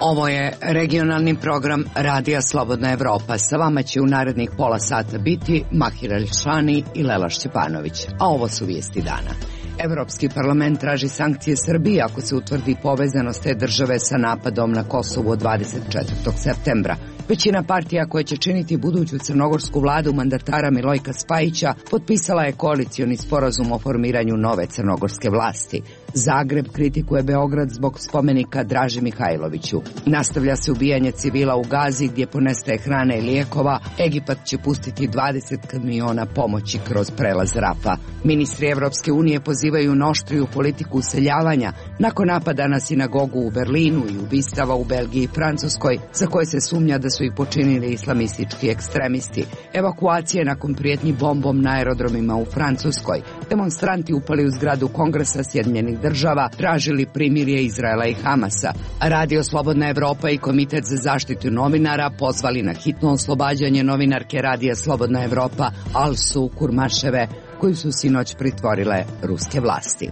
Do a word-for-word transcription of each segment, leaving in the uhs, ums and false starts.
Ovo je regionalni program Radija Slobodna Evropa. Sa vama će u narednih pola sata biti Mahir Elšani i Lela Šćepanović. A ovo su vijesti dana. Evropski parlament traži sankcije Srbije ako se utvrdi povezanost te države sa napadom na Kosovu od dvadeset četvrtog septembra. Većina partija koja će činiti buduću crnogorsku vladu mandatara Milojka Spajića potpisala je koalicioni sporazum o formiranju nove crnogorske vlasti. Zagreb kritikuje Beograd zbog spomenika Draži Mihajloviću. Nastavlja se ubijanje civila u Gazi gdje ponestaje hrane i lijekova. Egipat će pustiti dvadeset kamiona pomoći kroz prelaz Rafa. Ministri Evropske unije pozivaju na oštriju politiku useljavanja nakon napada na sinagogu u Berlinu i ubistava u Belgiji i Francuskoj za koje se sumnja da su ih počinili islamistički ekstremisti. Evakuacije nakon prijetnji bombom na aerodromima u Francuskoj. Demonstranti upali u zgradu Kongresa Sjedinjenih država, tražili primirje Izraela i Hamasa. Radio Slobodna Evropa i Komitet za zaštitu novinara pozvali na hitno oslobađanje novinarke Radija Slobodna Evropa Alsu Kurmaševe, koju su sinoć pritvorile ruske vlasti.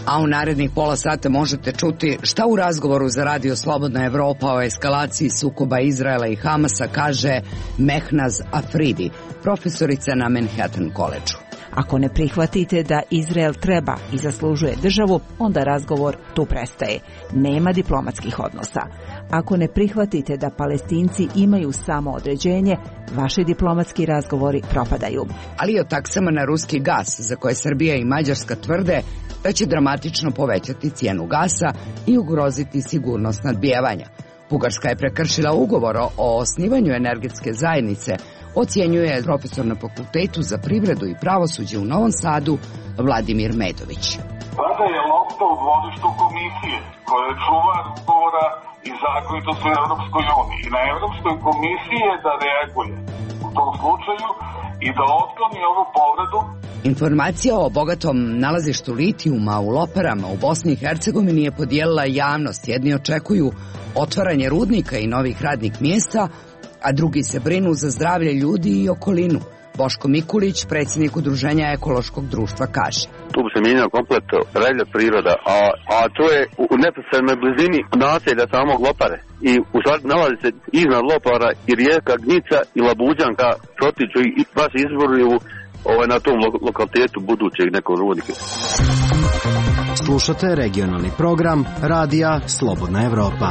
A u narednih pola sata možete čuti šta u razgovoru za Radio Slobodna Evropa o eskalaciji sukoba Izraela i Hamasa kaže Mehnaz Afridi, profesorica na Manhattan College-u. Ako ne prihvatite da Izrael treba i zaslužuje državu, onda razgovor tu prestaje. Nema diplomatskih odnosa. Ako ne prihvatite da Palestinci imaju samoodređenje, vaši diplomatski razgovori propadaju. Ali i o taksama na ruski gas, za koje Srbija i Mađarska tvrde da će dramatično povećati cijenu gasa i ugroziti sigurnost nadbijevanja. Bugarska je prekršila ugovor o osnivanju energetske zajednice, ocjenjuje profesor na Fakultetu za privredu i pravosuđe u Novom Sadu Vladimir Medović. Vlada je lopta u dvorištu komisije koja je čuvar ugovora i zakonitosti u Evropskoj uniji. I na Evropskoj komisiji je da reaguje u tom slučaju i da otkloni ovu povredu. Informacija o bogatom nalazištu litijuma u Loparama u Bosni i Hercegovini je podijelila javnost. Jedni očekuju otvaranje rudnika i novih radnih mjesta, a drugi se brinu za zdravlje ljudi i okolinu. Boško Mikulić, predsjednik Udruženja ekološkog društva, kaže. Tu bi se mijenjao komplet reljev priroda, a, a to je u neposrednoj blizini naselja samog Lopare. I u stvari nalazi se iznad Lopara i rijeka Gnica i Labuđanka protiču i baš izvoruju ovaj, na tom lo, lokalitetu budućeg nekog rudnika. Slušate regionalni program Radija Slobodna Evropa.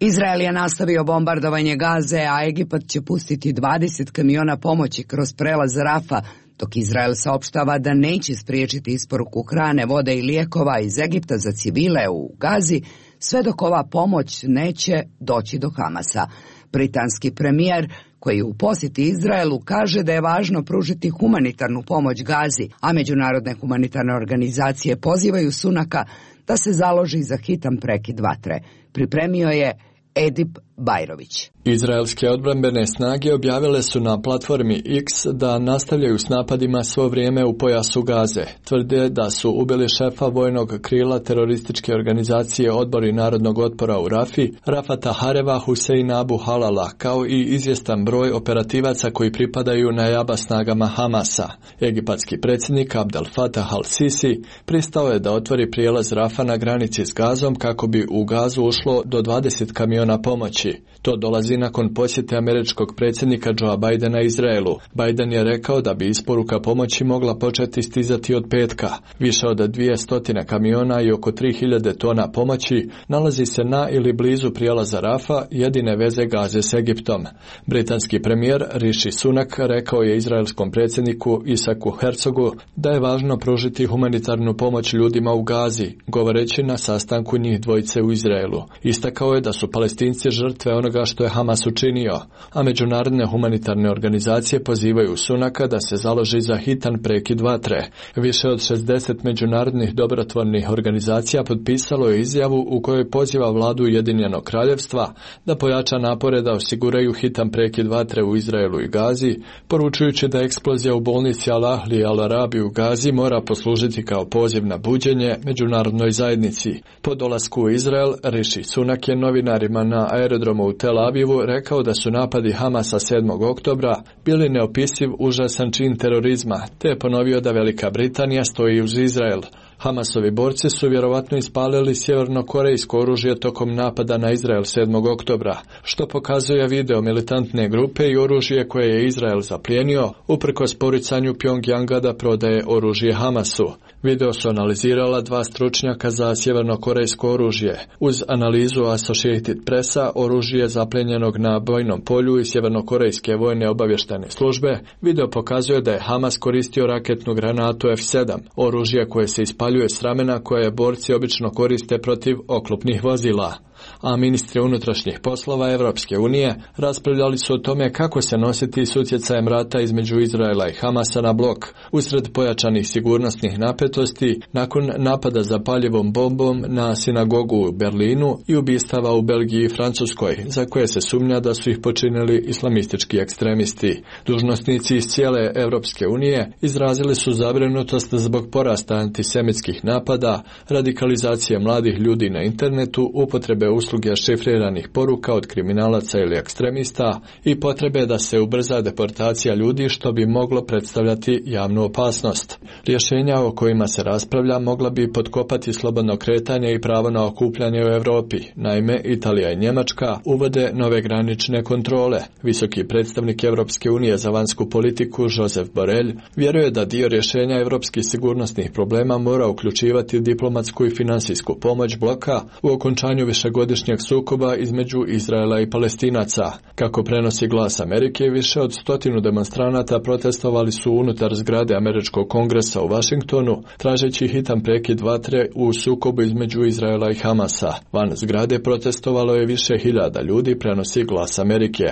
Izrael je nastavio bombardovanje Gaze, a Egipat će pustiti dvadeset kamiona pomoći kroz prelaz Rafa, dok Izrael saopštava da neće spriječiti isporuku hrane, vode i lijekova iz Egipta za civile u Gazi, sve dok ova pomoć neće doći do Hamasa. Britanski premijer, koji u posjeti Izraelu, kaže da je važno pružiti humanitarnu pomoć Gazi, a međunarodne humanitarne organizacije pozivaju Sunaka da se založi za hitan prekid vatre. Pripremio je Edip Bajrović. Izraelske odbrambene snage objavile su na platformi X da nastavljaju s napadima svo vrijeme u pojasu Gaze. Tvrde da su ubili šefa vojnog krila terorističke organizacije Odbori narodnog otpora u Rafi, Rafata Hareva Huseina Abu Halala, kao i izvjestan broj operativaca koji pripadaju najaba snagama Hamasa. Egipatski predsjednik Abdel Fattah al-Sisi pristao je da otvori prijelaz Rafa na granici s Gazom kako bi u Gazu ušlo do dvadeset kamiona pomoći. To dolazi nakon posjete američkog predsjednika Joea Bidena Izraelu. Biden je rekao da bi isporuka pomoći mogla početi stizati od petka. Više od dvjesto kamiona i oko tri hiljade tona pomoći nalazi se na ili blizu prijelaza Rafa, jedine veze Gaze s Egiptom. Britanski premijer Rishi Sunak rekao je izraelskom predsjedniku Isaku Herzogu da je važno pružiti humanitarnu pomoć ljudima u Gazi, govoreći na sastanku njih dvojice u Izraelu. Istakao je da su Palestinci žrtve onoga što je Hamas učinio, a međunarodne humanitarne organizacije pozivaju Sunaka da se založi za hitan prekid vatre. Više od šezdeset međunarodnih dobrotvornih organizacija potpisalo je izjavu u kojoj poziva vladu Ujedinjenog kraljevstva da pojača napore da osiguraju hitan prekid vatre u Izraelu i Gazi, poručujući da eksplozija u bolnici Al-Ahli Al-Arabi u Gazi mora poslužiti kao poziv na buđenje međunarodnoj zajednici. Po dolasku u Izrael, Rishi Sunak je novinarima na aerodromu u Tel Avivu rekao da su napadi Hamasa sedmog oktobra bili neopisiv užasan čin terorizma, te je ponovio da Velika Britanija stoji uz Izrael. Hamasovi borci su vjerovatno ispalili sjevernokorejsko oružje tokom napada na Izrael sedmog oktobra, što pokazuje video militantne grupe i oružje koje je Izrael zaplijenio, uprkos poricanju Pjongjanga da prodaje oružje Hamasu. Video su analizirala dva stručnjaka za sjevernokorejsko oružje. Uz analizu Associated Pressa oružje zapljenjenog na bojnom polju i sjevernokorejske vojne obavještajne službe, video pokazuje da je Hamas koristio raketnu granatu F sedam, oružje koje se ispaljuje s ramena koje borci obično koriste protiv oklopnih vozila. A ministri unutrašnjih poslova Evropske unije raspravljali su o tome kako se nositi s utjecajem rata između Izraela i Hamasa na blok, usred pojačanih sigurnosnih napetosti nakon napada zapaljivom bombom na sinagogu u Berlinu i ubistava u Belgiji i Francuskoj, za koje se sumnja da su ih počinili islamistički ekstremisti. Dužnosnici iz cijele Evropske unije izrazili su zabrinutost zbog porasta antisemitskih napada, radikalizacije mladih ljudi na internetu, upotrebe usluge šifriranih poruka od kriminalaca ili ekstremista i potrebe da se ubrza deportacija ljudi, što bi moglo predstavljati javnu opasnost. Rješenja o kojima se raspravlja mogla bi potkopati slobodno kretanje i pravo na okupljanje u Europi. Naime, Italija i Njemačka uvode nove granične kontrole. Visoki predstavnik Europske unije za vanjsku politiku Josep Borrell vjeruje da dio rješenja europskih sigurnosnih problema mora uključivati diplomatsku i finansijsku pomoć bloka u okončanju višegodišnjeg sukoba između Izraela i Palestinaca. Kako prenosi Glas Amerike, više od stotinu demonstranata protestovali su unutar zgrade Američkog kongresa u Washingtonu, tražeći hitan prekid vatre u sukobu između Izraela i Hamasa. Van zgrade protestovalo je više hiljada ljudi, prenosi Glas Amerike.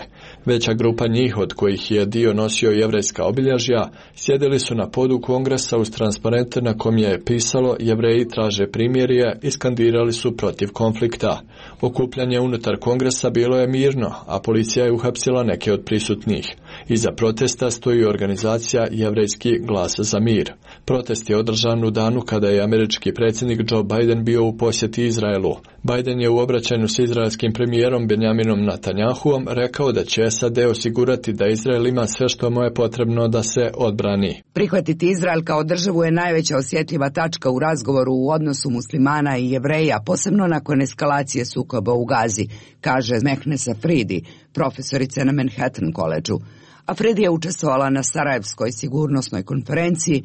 Veća grupa njih, od kojih je dio nosio jevrejska obilježja, sjedili su na podu kongresa uz transparente na kom je pisalo "Jevreji traže primirje" i skandirali su protiv konflikta. Okupljanje unutar kongresa bilo je mirno, a policija je uhapsila neke od prisutnih. Iza protesta stoji organizacija Jevrejski glas za mir. Protest je održan u danu kada je američki predsjednik Joe Biden bio u posjeti Izraelu. Biden je u obraćanju s izraelskim premijerom Benjaminom Netanjahuom rekao da će S A D osigurati da Izrael ima sve što mu je potrebno da se odbrani. Prihvatiti Izrael kao državu je najveća osjetljiva tačka u razgovoru u odnosu muslimana i Jevreja, posebno nakon eskalacije sukoba u Gazi, kaže Mehnesa Afridi, profesorica na Manhattan Collegeu. Afridi je učestvovala na Sarajevskoj sigurnosnoj konferenciji,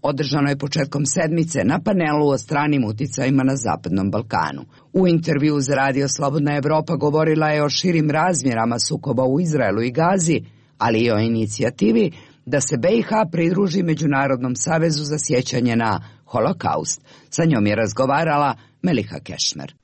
održanoj početkom sedmice, na panelu o stranim uticajima na Zapadnom Balkanu. U intervju za Radio Slobodna Evropa govorila je o širim razmjerama sukoba u Izraelu i Gazi, ali i o inicijativi da se B i H pridruži Međunarodnom savezu za sjećanje na Holokaust. Sa njom je razgovarala Meliha Kešmer.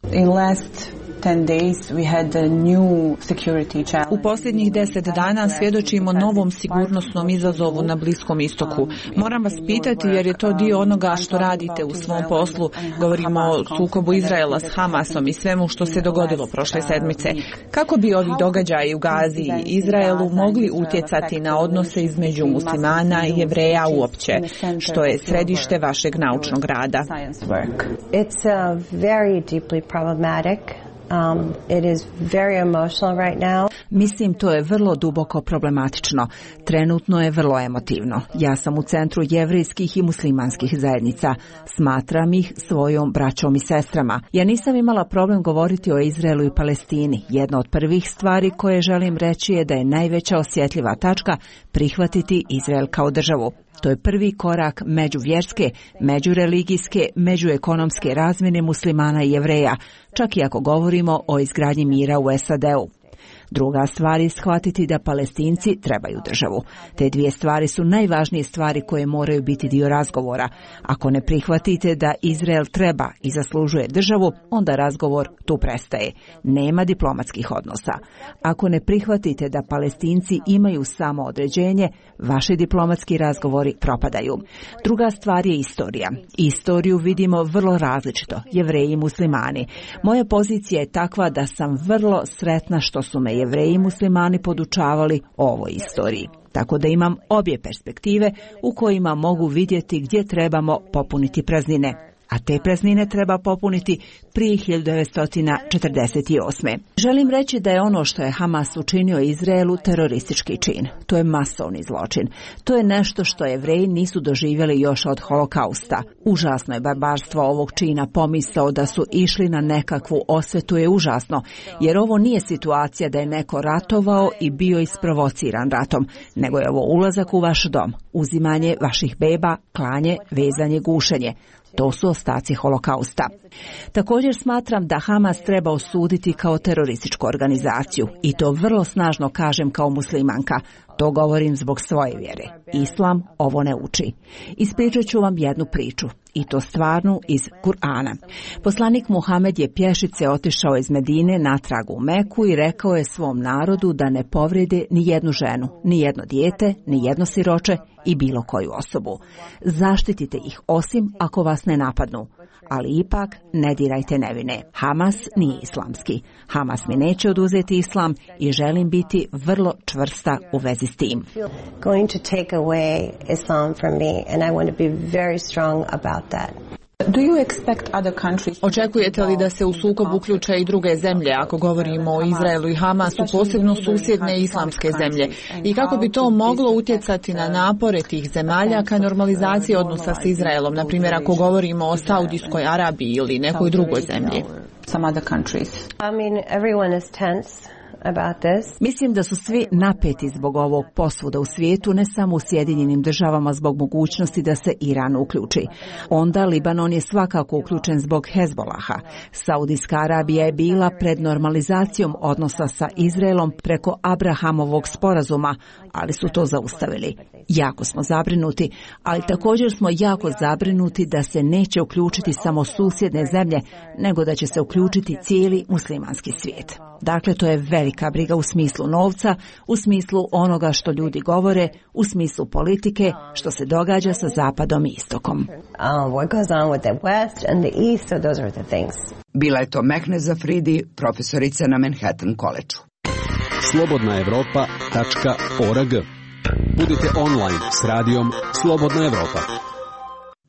U posljednjih deset dana svjedočimo novom sigurnosnom izazovu na Bliskom istoku. Moram vas pitati jer je to dio onoga što radite u svom poslu. Govorimo o sukobu Izraela s Hamasom i svemu što se dogodilo prošle sedmice. Kako bi ovi događaji u Gazi i Izraelu mogli utjecati na odnose između muslimana i Jevreja uopće, što je središte vašeg naučnog rada? It's uh, very deeply problematic. Um, it is very emotional right now. Mislim, to je vrlo duboko problematično. Trenutno je vrlo emotivno. Ja sam u centru jevrejskih i muslimanskih zajednica. Smatram ih svojom braćom i sestrama. Ja nisam imala problem govoriti o Izraelu i Palestini. Jedna od prvih stvari koje želim reći je da je najveća osjetljiva tačka prihvatiti Izrael kao državu. To je prvi korak međuvjerske, međureligijske, međuekonomske razmjene muslimana i Jevreja, čak i ako govorimo o izgradnji mira u S A D-u. Druga stvar je shvatiti da Palestinci trebaju državu. Te dvije stvari su najvažnije stvari koje moraju biti dio razgovora. Ako ne prihvatite da Izrael treba i zaslužuje državu, onda razgovor tu prestaje. Nema diplomatskih odnosa. Ako ne prihvatite da Palestinci imaju samo određenje, vaši diplomatski razgovori propadaju. Druga stvar je istorija. Istoriju vidimo vrlo različito, Jevreji i muslimani. Moja pozicija je takva da sam vrlo sretna što su me Jevreji i muslimani podučavali o ovoj istoriji. Tako da imam obje perspektive u kojima mogu vidjeti gdje trebamo popuniti praznine. a te praznine treba popuniti prije hiljadu devetsto četrdeset osme. Želim reći da je ono što je Hamas učinio Izraelu teroristički čin. To je masovni zločin. To je nešto što Jevreji nisu doživjeli još od holokausta. Užasno je barbarstvo ovog čina, pomisao da su išli na nekakvu osvetu je užasno, jer ovo nije situacija da je neko ratovao i bio isprovociran ratom, nego je ovo ulazak u vaš dom, uzimanje vaših beba, klanje, vezanje, gušenje. To su ostaci holokausta. Također smatram da Hamas treba osuditi kao terorističku organizaciju i to vrlo snažno kažem kao muslimanka. To govorim zbog svoje vjere. Islam ovo ne uči. Ispričat ću vam jednu priču, i to stvarnu iz Kur'ana. Poslanik Muhamed je pješice otišao iz Medine natrag u Meku i rekao je svom narodu da ne povrede ni jednu ženu, ni jedno dijete, ni jedno siroče i bilo koju osobu. Zaštitite ih osim ako vas ne napadnu, ali ipak ne dirajte nevine. Hamas nije islamski. Hamas mi neće oduzeti islam i želim biti vrlo čvrsta u vezi s tim. Going to take away Islam from me and I want to be very strong about that. Do you expect other countries... Očekujete li da se u sukob uključe i druge zemlje, ako govorimo o Izraelu i Hamasu, posebno susjedne islamske zemlje? I kako bi to moglo utjecati na napore tih zemalja ka normalizaciji odnosa s Izraelom, na primjer ako govorimo o Saudijskoj Arabiji ili nekoj drugoj zemlji? Some other countries. I mean, everyone is tense about this. Mislim da su svi napeti zbog ovog posvuda u svijetu, ne samo u Sjedinjenim državama zbog mogućnosti da se Iran uključi. Onda Libanon je svakako uključen zbog Hezbolaha. Saudijska Arabija je bila pred normalizacijom odnosa sa Izraelom preko Abrahamovog sporazuma, ali su to zaustavili. Jako smo zabrinuti, ali također smo jako zabrinuti da se neće uključiti samo susjedne zemlje, nego da će se uključiti cijeli muslimanski svijet. Dakle, to je velika briga u smislu novca, u smislu onoga što ljudi govore, u smislu politike, što se događa sa zapadom i istokom. Bila je to Mehneza Fridi, profesorica na Manhattan College-u. slobodna evropa tačka org. Budite online s radijom Slobodna Evropa.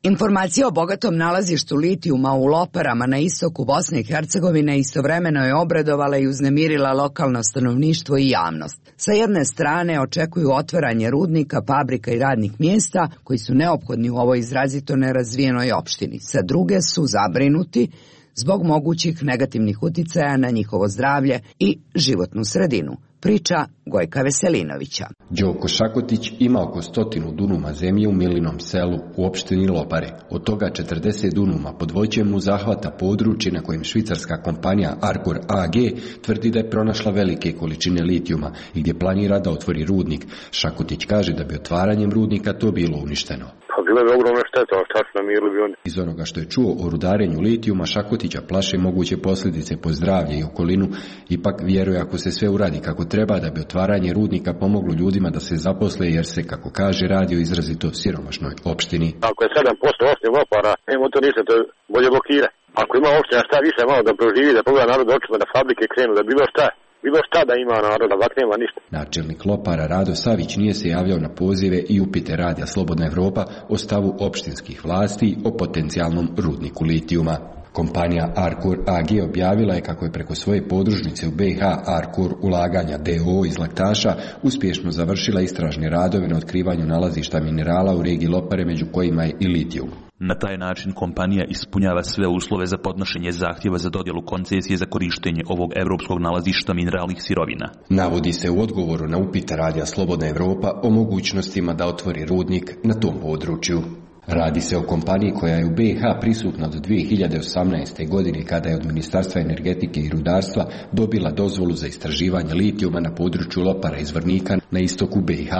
Informacija o bogatom nalazištu litijuma u Loparama na istoku Bosne i Hercegovine istovremeno je obradovala i uznemirila lokalno stanovništvo i javnost. Sa jedne strane očekuju otvaranje rudnika, fabrika i radnih mjesta koji su neophodni u ovoj izrazito nerazvijenoj opštini. Sa druge su zabrinuti zbog mogućih negativnih uticaja na njihovo zdravlje i životnu sredinu. Priča Gojka Veselinovića. Đoko Šakotić ima oko stotinu dunuma zemlje u Milinom selu u opštini Lopare. Od toga četrdeset dunuma pod voćem mu zahvata područje na kojem švicarska kompanija Arcor A G tvrdi da je pronašla velike količine litijuma i gdje planira da otvori rudnik. Šakotić kaže da bi otvaranjem rudnika to bilo uništeno. Pa bila bi ogromna šteta, šta su namirili bi oni. Iz onoga što je čuo o rudarenju litijuma, Šakotića plaše moguće posljedice po zdravlje i okolinu, ipak vjeruje ako se sve uradi kako treba da bi otvaranje rudnika pomoglo ljudima da se zaposle, jer se, kako kaže, radi o izrazito siromašnoj opštini. Ako je sedam posto osnovnih Lopara, nema to ništa, to bolje blokira. Ako ima opština šta više malo da proživi, da pogleda narod očima, da fabrike krenu, da bilo šta, bilo šta da ima naroda, ovak nema ništa. Načelnik Lopara Rado Savić nije se javljao na pozive i upite radija Slobodna Evropa o stavu opštinskih vlasti o potencijalnom rudniku litijuma. Kompanija Arcor A G objavila je kako je preko svoje podružnice u B iH Arcor ulaganja D O O iz Laktaša uspješno završila istražne radove na otkrivanju nalazišta minerala u regiji Lopare, među kojima je i litijum. Na taj način kompanija ispunjava sve uslove za podnošenje zahtjeva za dodjelu koncesije za korištenje ovog evropskog nalazišta mineralnih sirovina. Navodi se u odgovoru na upit radija Slobodna Evropa o mogućnostima da otvori rudnik na tom području. Radi se o kompaniji koja je u B iH prisutna od dvije hiljade osamnaeste. godine, kada je od Ministarstva energetike i rudarstva dobila dozvolu za istraživanje litijuma na području Lopara iz Vrnika na istoku B iH.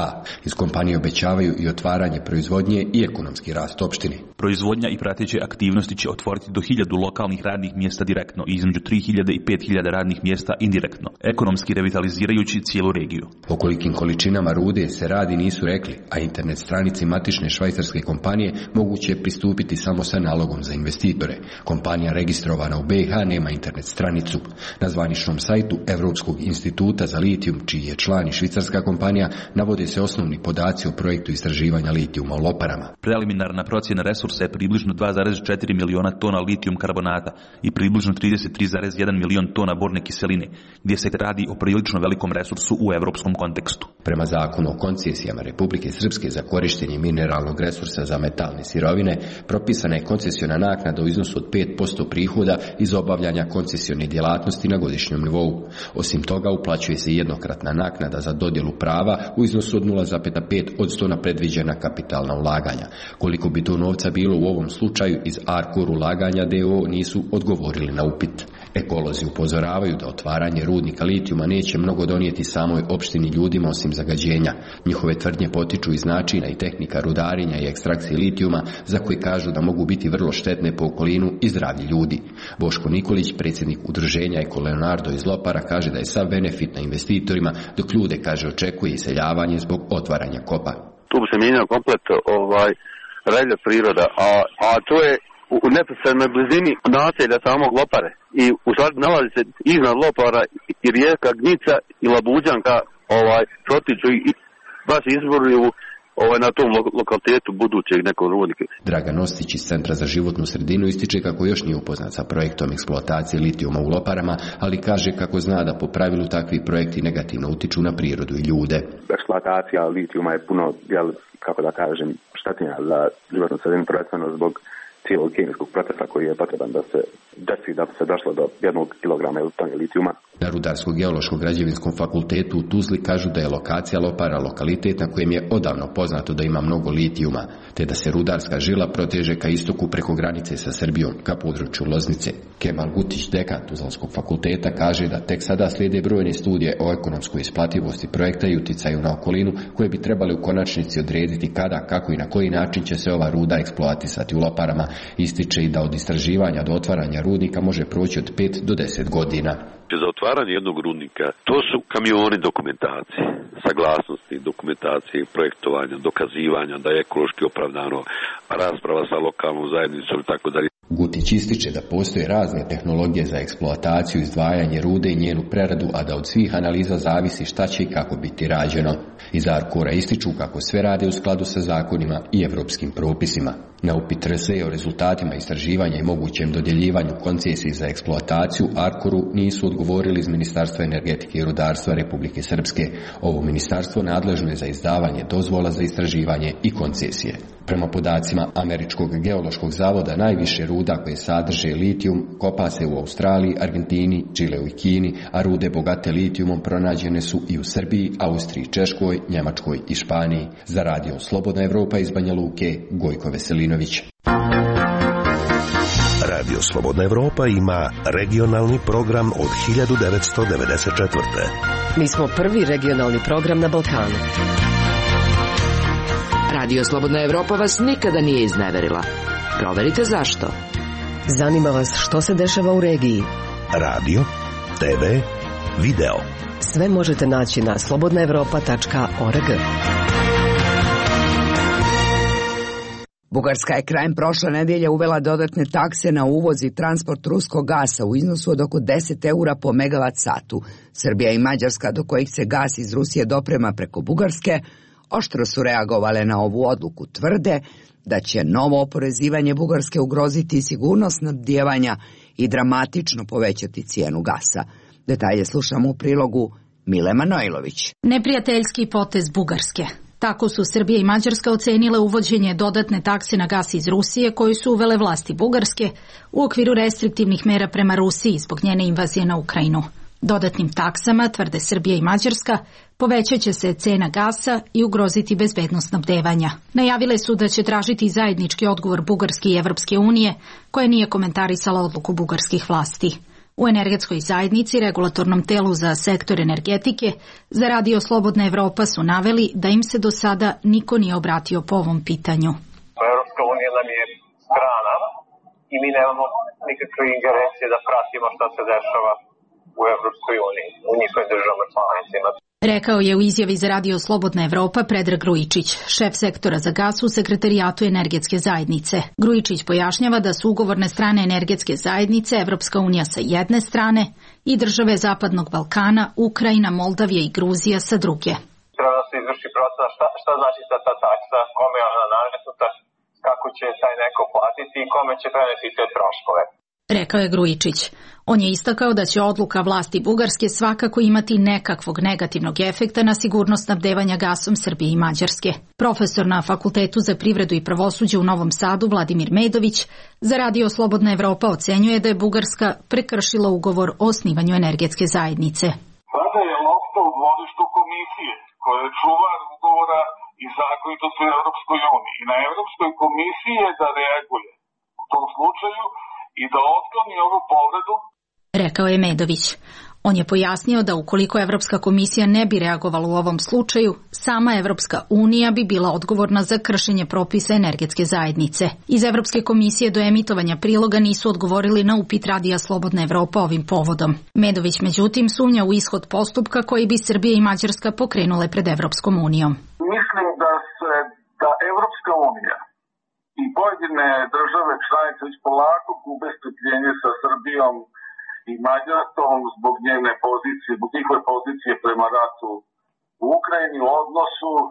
Iz kompanije obećavaju i otvaranje proizvodnje i ekonomski rast opštine. Proizvodnja i prateće aktivnosti će otvoriti do hiljadu lokalnih radnih mjesta direktno i između tri hiljade i pet hiljada radnih mjesta indirektno, ekonomski revitalizirajući cijelu regiju. O kolikim količinama rude se radi nisu rekli, a internet stranici matične švajcarske kompanije moguće je pristupiti samo sa nalogom za investitore. Kompanija registrovana u B i H nema internet stranicu. Na zvaničnom sajtu Europskog instituta za litijum, čiji je član i švicarska kompanija, navode se osnovni podaci o projektu istraživanja litijuma u Loparama. Preliminarna procjena resursa je približno dva zarez četiri miliona tona litijum karbonata i približno trideset tri zarez jedan milion tona borne kiseline, gdje se radi o prilično velikom resursu u evropskom kontekstu. Prema zakonu o koncesijama Republike Srpske za korištenje mineralnog resursa za metalne sirovine, propisana je koncesiona naknada u iznosu od pet posto prihoda iz obavljanja koncesione djelatnosti na godišnjem nivou. Osim toga, uplaćuje se jednokratna naknada za dodjelu prava u iznosu od nula zarez pet posto na predviđena kapitalna ulaganja. Koliko bi to novca bilo u ovom slučaju, iz Arcor ulaganja D O O nisu odgovorili na upit. Ekolozi upozoravaju da otvaranje rudnika litijuma neće mnogo donijeti samoj opštini ljudima osim zagađenja. Njihove tvrdnje potiču iz načina i tehnika rudarenja i ekstrakcije litijuma, za koji kažu da mogu biti vrlo štetne po okolinu i zdravlje ljudi. Boško Nikolić, predsjednik udruženja Eko Leonardo iz Lopara, kaže da je sav benefit na investitorima, dok ljude, kaže, očekuje iseljavanje zbog otvaranja kopa. Tu bi se mijenjao komplet ovaj, reljev priroda, a, a to je u neposrednoj blizini naselja samog Lopare. I u stvari nalazi se iznad Lopara i rijeka Gnjica i Labuđanka ovaj, protiču i baš izboruju ovaj, na tom lo- lokalitetu budućeg nekog rudnika. Dragan Ostić iz Centra za životnu sredinu ističe kako još nije upoznat sa projektom eksploatacije litijuma u Loparama, ali kaže kako zna da po pravilu takvi projekti negativno utiču na prirodu i ljude. Eksploatacija litijuma je puno, jel, kako da kažem, štetnija za životnu sredinu, prvenstveno zbog cijelog kemijskog procesa koji je potreban da se desi da bi se došlo do jednog kilograma ili tone litijuma. Na Rudarsko-geološko-građevinskom fakultetu u Tuzli kažu da je lokacija Lopara lokalitet na kojem je odavno poznato da ima mnogo litijuma, te da se rudarska žila proteže ka istoku preko granice sa Srbijom, ka području Loznice. Kemal Gutić, dekan Tuzlanskog fakulteta, kaže da tek sada slijede brojne studije o ekonomskoj isplativosti projekta i uticaju na okolinu, koje bi trebali u konačnici odrediti kada, kako i na koji način će se ova ruda eksploatisati u Loparama. Ističe i da od istraživanja do otvaranja rudnika može proći od pet do deset godina. Za otvaranje jednog rudnika, to su kamioni dokumentacije, saglasnosti, dokumentacije, projektovanja, dokazivanja da je ekološki opravdano, rasprava sa lokalnom zajednicom i tako dalje. Gutić ističe da postoje razne tehnologije za eksploataciju, izdvajanje rude i njenu preradu, a da od svih analiza zavisi šta će i kako biti rađeno. Iz Arcora ističu kako sve rade u skladu sa zakonima i evropskim propisima. Na upit R S E o rezultatima istraživanja i mogućem dodjeljivanju koncesiji za eksploataciju Arcoru nisu odgovorili iz Ministarstva energetike i rudarstva Republike Srpske. Ovo ministarstvo nadležno je za izdavanje dozvola za istraživanje i koncesije. Prema podacima Američkog geološkog zavoda, najviše ruda koje sadrže litijum kopa se u Australiji, Argentini, Čileu i Kini, a rude bogate litijumom pronađene su i u Srbiji, Austriji, Češkoj, Njemačkoj i Španiji. Za radio Slobodna Evropa iz Banja Luke, Gojko Veselinović. Radio Slobodna Evropa ima regionalni program od hiljadu devetsto devedeset četvrte. Mi smo prvi regionalni program na Balkanu. Radio Slobodna Evropa vas nikada nije izneverila. Proverite zašto. Zanima vas što se dešava u regiji. Radio, T V, video. Sve možete naći na slobodna evropa tačka org. Bugarska je krajem prošle nedelje uvela dodatne takse na uvoz i transport ruskog gasa u iznosu od oko deset eura po megavat satu. Srbija i Mađarska, do kojih se gas iz Rusije doprema preko Bugarske, oštro su reagovale na ovu odluku. Tvrde da će novo oporezivanje Bugarske ugroziti sigurnost snabdijevanja i dramatično povećati cijenu gasa. Detalje slušamo u prilogu Mile Manojlović. Neprijateljski potez Bugarske. Tako su Srbija i Mađarska ocenile uvođenje dodatne takse na gas iz Rusije koju su uvele vlasti Bugarske u okviru restriktivnih mera prema Rusiji zbog njene invazije na Ukrajinu. Dodatnim taksama, tvrde Srbija i Mađarska, povećat će se cena gasa i ugroziti bezbednost snabdevanja. Najavile su da će tražiti zajednički odgovor Bugarske i Evropske unije, koja nije komentarisala odluku bugarskih vlasti. U energetskoj zajednici, regulatornom telu za sektor energetike, za Radio Slobodna Evropa su naveli da im se do sada niko nije obratio po ovom pitanju. Evropska unija nam je strana i mi nemamo nikakve ingerencije da pratimo šta se dešava u Evropskoj uniji, u njihovim državama članicama. Rekao je u izjavi za Radio Slobodna Evropa Predrag Grujičić, šef sektora za gas u Sekretarijatu energetske zajednice. Grujičić pojašnjava da su ugovorne strane energetske zajednice Evropska unija sa jedne strane i države Zapadnog Balkana, Ukrajina, Moldavija i Gruzija sa druge. Treba da se izvrši procena šta, šta znači ta, ta taksa, kome je ona nametnuta, kako će taj neko platiti i kome će preneti te troškove. Rekao je Grujičić. On je istakao da će odluka vlasti Bugarske svakako imati nekakvog negativnog efekta na sigurnost snabdevanja gasom Srbije i Mađarske. Profesor na Fakultetu za privredu i pravosuđe u Novom Sadu Vladimir Medović za Radio Slobodna Evropa ocenjuje da je Bugarska prekršila ugovor o osnivanju energetske zajednice. Sada je lopta u dvorištu komisije koja je čuvar ugovora i zakonitosti u Evropskoj uniji. I na Evropskoj komisiji je da reaguje u tom slučaju i da otkloni ovu povredu, rekao je Medović. On je pojasnio da ukoliko Evropska komisija ne bi reagovala u ovom slučaju, sama Evropska unija bi bila odgovorna za kršenje propisa energetske zajednice. Iz Evropske komisije do emitovanja priloga nisu odgovorili na upit Radija Slobodna Evropa ovim povodom. Medović međutim sumnja u ishod postupka koji bi Srbija i Mađarska pokrenule pred Evropskom unijom. Mislim da se da Evropska unija i pojedine države članice već polako gube strpljenje sa Srbijom i Mađarskom zbog njene pozicije, zbog njihove pozicije prema ratu u Ukrajini, u odnosu e,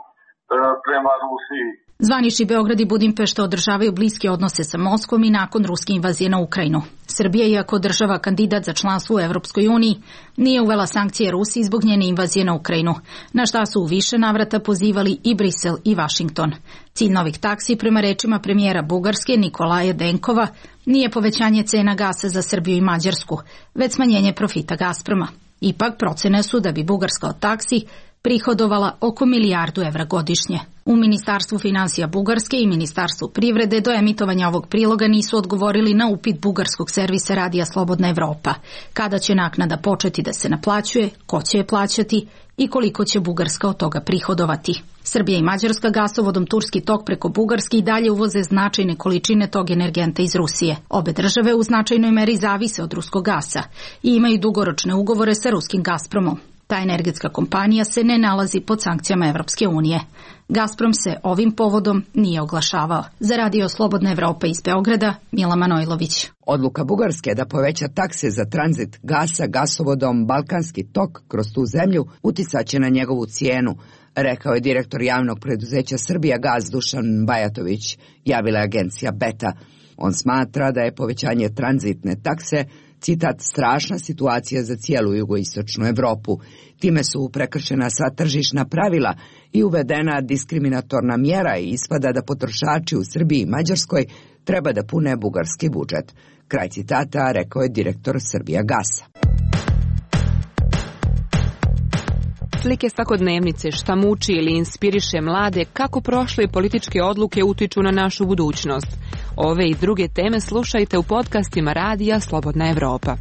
prema Rusiji. Zvanični Beograd i Budimpešta održavaju bliske odnose sa Moskvom i nakon ruske invazije na Ukrajinu. Srbija, iako država kandidat za članstvo u Evropskoj uniji, nije uvela sankcije Rusiji zbog njene invazije na Ukrajinu, na šta su u više navrata pozivali i Brisel i Vašington. Cilj novih taksi, prema rečima premijera Bugarske Nikolaja Denkova, nije povećanje cena gasa za Srbiju i Mađarsku, već smanjenje profita Gazproma. Ipak procene su da bi Bugarska od taksi prihodovala oko milijardu evra godišnje. U Ministarstvu finansija Bugarske i Ministarstvu privrede do emitovanja ovog priloga nisu odgovorili na upit bugarskog servisa Radija Slobodna Evropa. Kada će naknada početi da se naplaćuje, ko će je plaćati i koliko će Bugarska od toga prihodovati. Srbija i Mađarska gasovodom Turski tok preko Bugarske i dalje uvoze značajne količine tog energenta iz Rusije. Obe države u značajnoj meri zavise od ruskog gasa i imaju dugoročne ugovore sa ruskim Gazpromom. Ta energetska kompanija se ne nalazi pod sankcijama Evropske unije. Gazprom se ovim povodom nije oglašavao. Za Radio Slobodna Evropa iz Beograda, Mila Manojlović. Odluka Bugarske da poveća takse za tranzit gasa gasovodom Balkanski tok kroz tu zemlju uticaće na njegovu cijenu, rekao je direktor javnog preduzeća Srbija Gaz Dušan Bajatović, javila agencija Beta. On smatra da je povećanje tranzitne takse, citat, strašna situacija za cijelu jugoistočnu Evropu. Time su prekršena sva tržišna pravila i uvedena diskriminatorna mjera i ispada da potrošači u Srbiji i Mađarskoj treba da pune bugarski budžet. Kraj citata, rekao je direktor Srbija Gasa. Slike svakodnevnice, šta muči ili inspiriše mlade, kako prošle političke odluke utiču na našu budućnost. Ove i druge teme slušajte u podcastima Radija Slobodna Evropa.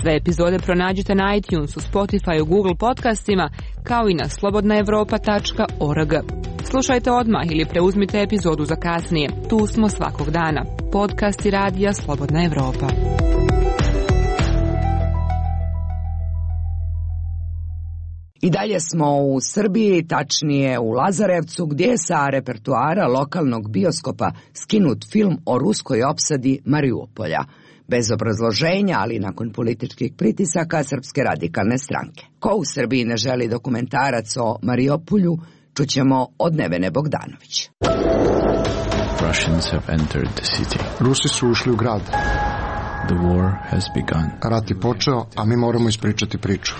Sve epizode pronađite na iTunesu, Spotifyu, Google podcastima, kao i na slobodna evropa tačka org. Slušajte odmah ili preuzmite epizodu za kasnije. Tu smo svakog dana. Podcasti Radija Slobodna Evropa. I dalje smo u Srbiji, tačnije u Lazarevcu, gdje je sa repertoara lokalnog bioskopa skinut film o ruskoj opsadi Mariupolja. Bez obrazloženja, ali nakon političkih pritisaka Srpske radikalne stranke. Ko u Srbiji ne želi dokumentarac o Mariupolju, čućemo od Nevene Bogdanović. Russians have entered the city. Rusi su ušli u grad. The war has begun. Rat je počeo, a mi moramo ispričati priču.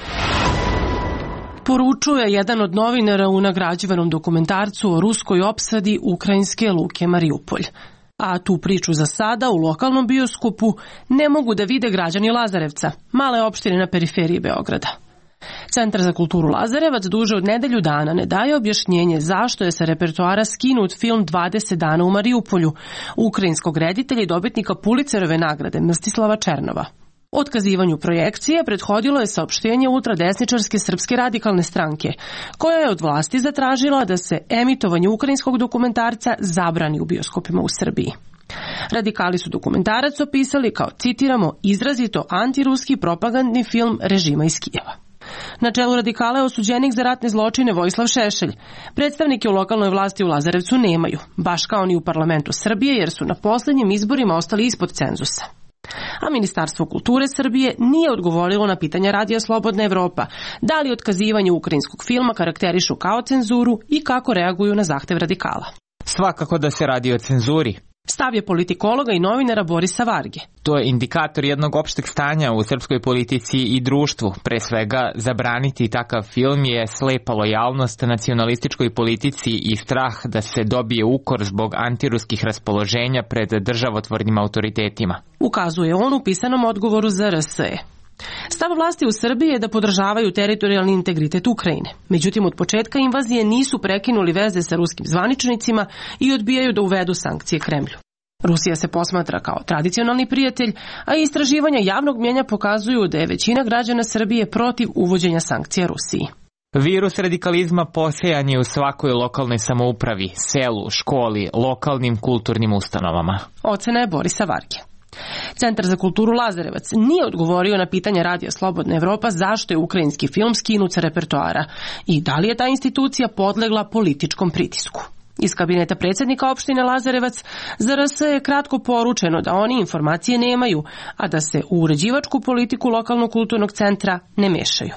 Poručuje jedan od novinara u nagrađivanom dokumentarcu o ruskoj opsadi ukrajinske luke Mariupolj. A tu priču za sada u lokalnom bioskopu ne mogu da vide građani Lazarevca, male opštine na periferiji Beograda. Centar za kulturu Lazarevac duže od nedelju dana ne daje objašnjenje zašto je sa repertoara skinut film dvadeset dana u Mariupolju, ukrajinskog reditelja i dobitnika Pulicerove nagrade Mstislava Černova. Otkazivanju projekcije prethodilo je saopštenje ultradesničarske Srpske radikalne stranke, koja je od vlasti zatražila da se emitovanje ukrajinskog dokumentarca zabrani u bioskopima u Srbiji. Radikali su dokumentarac opisali kao, citiramo, izrazito antiruski propagandni film režima iz Kijeva. Na čelu radikala je osuđenik za ratne zločine Vojislav Šešelj. Predstavnike u lokalnoj vlasti u Lazarevcu nemaju, baš kao ni u parlamentu Srbije, jer su na posljednjim izborima ostali ispod cenzusa. A Ministarstvo kulture Srbije nije odgovorilo na pitanja Radija Slobodna Evropa, da li otkazivanje ukrajinskog filma karakterišu kao cenzuru i kako reaguju na zahtev radikala. Svakako da se radi o cenzuri. Stav je politikologa i novinara Borisa Varge. To je indikator jednog opšteg stanja u srpskoj politici i društvu. Pre svega, zabraniti takav film je slepa lojalnost nacionalističkoj politici i strah da se dobije ukor zbog antiruskih raspoloženja pred državotvornim autoritetima. Ukazuje on u pisanom odgovoru za R S E. Stav vlasti u Srbiji je da podržavaju teritorijalni integritet Ukrajine. Međutim, od početka invazije nisu prekinuli veze sa ruskim zvaničnicima i odbijaju da uvedu sankcije Kremlju. Rusija se posmatra kao tradicionalni prijatelj, a istraživanja javnog mnijenja pokazuju da je većina građana Srbije protiv uvođenja sankcija Rusiji. Virus radikalizma posejan je u svakoj lokalnoj samoupravi, selu, školi, lokalnim kulturnim ustanovama. Ocena je Borisa Varge. Centar za kulturu Lazarevac nije odgovorio na pitanja Radija Slobodna Evropa zašto je ukrajinski film skinut sa repertoara i da li je ta institucija podlegla političkom pritisku. Iz kabineta predsjednika opštine Lazarevac za R S je kratko poručeno da oni informacije nemaju, a da se u uređivačku politiku lokalnog kulturnog centra ne mešaju.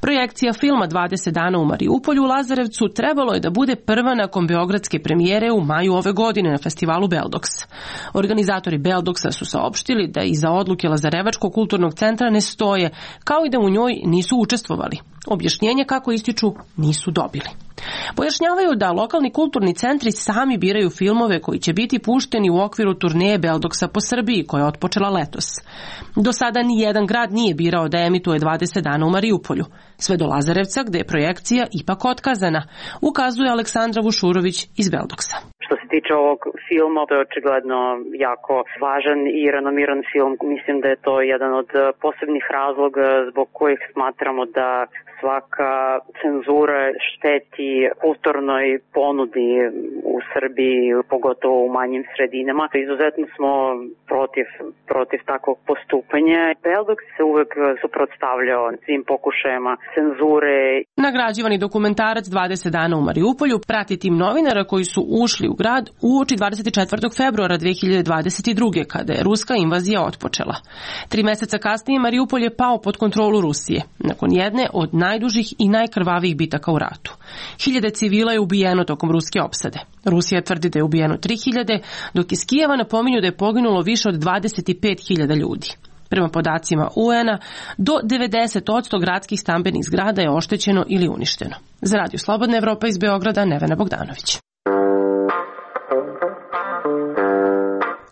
Projekcija filma dvadeset dana u Mariupolju u Lazarevcu trebalo je da bude prva nakon beogradske premijere u maju ove godine na festivalu Beldoks. Organizatori Beldoksa su saopštili da iza odluke Lazarevačkog kulturnog centra ne stoje, kao i da u njoj nisu učestvovali. Objašnjenje, kako ističu, nisu dobili. Pojašnjavaju da lokalni kulturni centri sami biraju filmove koji će biti pušteni u okviru turneje Beldoksa po Srbiji, koja je otpočela letos. Do sada ni jedan grad nije birao da emituje dvadeset dana u Mariupolju, sve do Lazarevca gde je projekcija ipak otkazana, ukazuje Aleksandra Vušurović iz Beldoksa. Što se tiče ovog filma, to je očigledno jako važan i renomiran film. Mislim da je to jedan od posebnih razloga zbog kojih smatramo da svaka cenzura šteti kulturnoj ponudi u Srbiji, pogotovo u manjim sredinama. Izuzetno smo protiv, protiv takvog postupanja. Beldoks se uvek suprotstavljao svim pokušajima cenzure. Nagrađivani dokumentarac dvadeset dana u Mariupolju prati tim novinara koji su ušli u grad uoči dvadeset četvrtog februara dve hiljade dvadeset druge. kada je ruska invazija otpočela. Tri meseca kasnije Mariupolj je pao pod kontrolu Rusije, nakon jedne od najdužih i najkrvavijih bitaka u ratu. Hiljade civila je ubijeno tokom ruske opsade. Rusija tvrdi da je ubijeno tri hiljade, dok iz Kijeva napominju da je poginulo više od dvadeset pet hiljada ljudi. Prema podacima U N-a, do devedeset posto gradskih stambenih zgrada je oštećeno ili uništeno. Za Radio Slobodna Evropa iz Beograda, Nevena Bogdanović.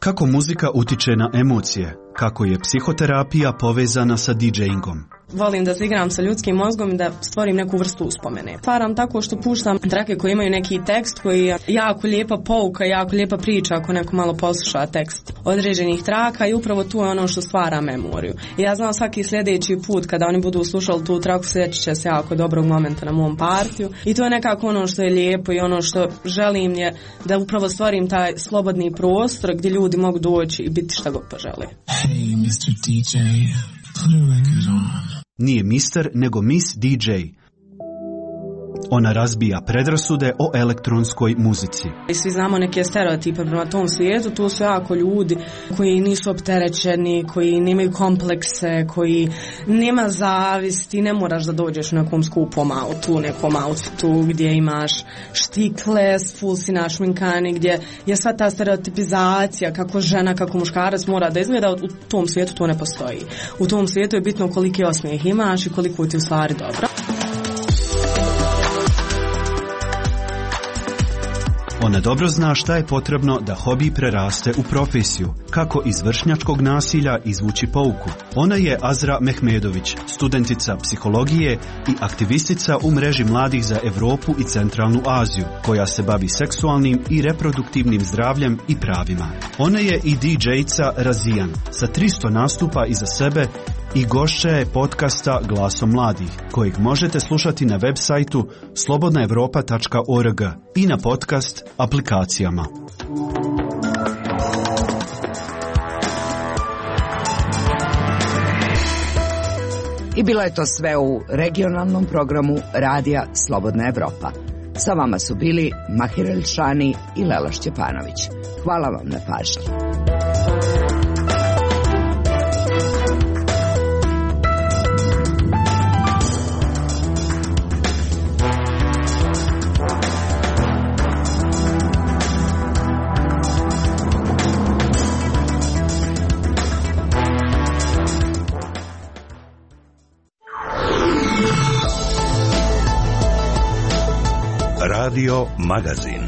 Kako muzika utiče na emocije? Kako je psihoterapija povezana sa DJingom? Volim da se igram sa ljudskim mozgom i da stvorim neku vrstu uspomene. Stvaram tako što puštam trake koje imaju neki tekst koji je jako lijepa pouka, jako lijepa priča ako neko malo posluša tekst određenih traka i upravo tu je ono što stvara memoriju. I ja znam svaki sljedeći put kada oni budu slušali tu traku sjećat će se jako dobrog momenta na mom partiju i to je nekako ono što je lijepo i ono što želim je da upravo stvorim taj slobodni prostor gdje ljudi mogu doći i biti šta god požele. Hey, mister D J, put a record on. Nije mister, nego Miss D J. Ona razbija predrasude o elektronskoj muzici. I svi znamo neke stereotipe prema tom svijetu, tu su jako ljudi koji nisu opterećeni, koji nemaju komplekse, koji nema zavisti, ne moraš da dođeš u nekom skupom autu, nekom outfitu gdje imaš štikle, full si našminkani, gdje je sva ta stereotipizacija kako žena, kako muškarac mora da izgleda, u tom svijetu to ne postoji. U tom svijetu je bitno koliki osmijeh imaš i koliko ti u stvari dobro. Ona dobro zna šta je potrebno da hobi preraste u profesiju, kako iz vršnjačkog nasilja izvući pouku. Ona je Azra Mehmedović, studentica psihologije i aktivistica u mreži mladih za Evropu i Centralnu Aziju, koja se bavi seksualnim i reproduktivnim zdravljem i pravima. Ona je i D J-ca Razijan, sa tristo nastupa iza sebe i gošća je podcasta Glasom mladih, kojeg možete slušati na web sajtu slobodna evropa tačka org i na podcast aplikacijama. I bilo je to sve u regionalnom programu Radija Slobodna Evropa. Sa vama su bili Mahir Elšani i Lela Šćepanović. Hvala vam na pažnji. Radio Magazin.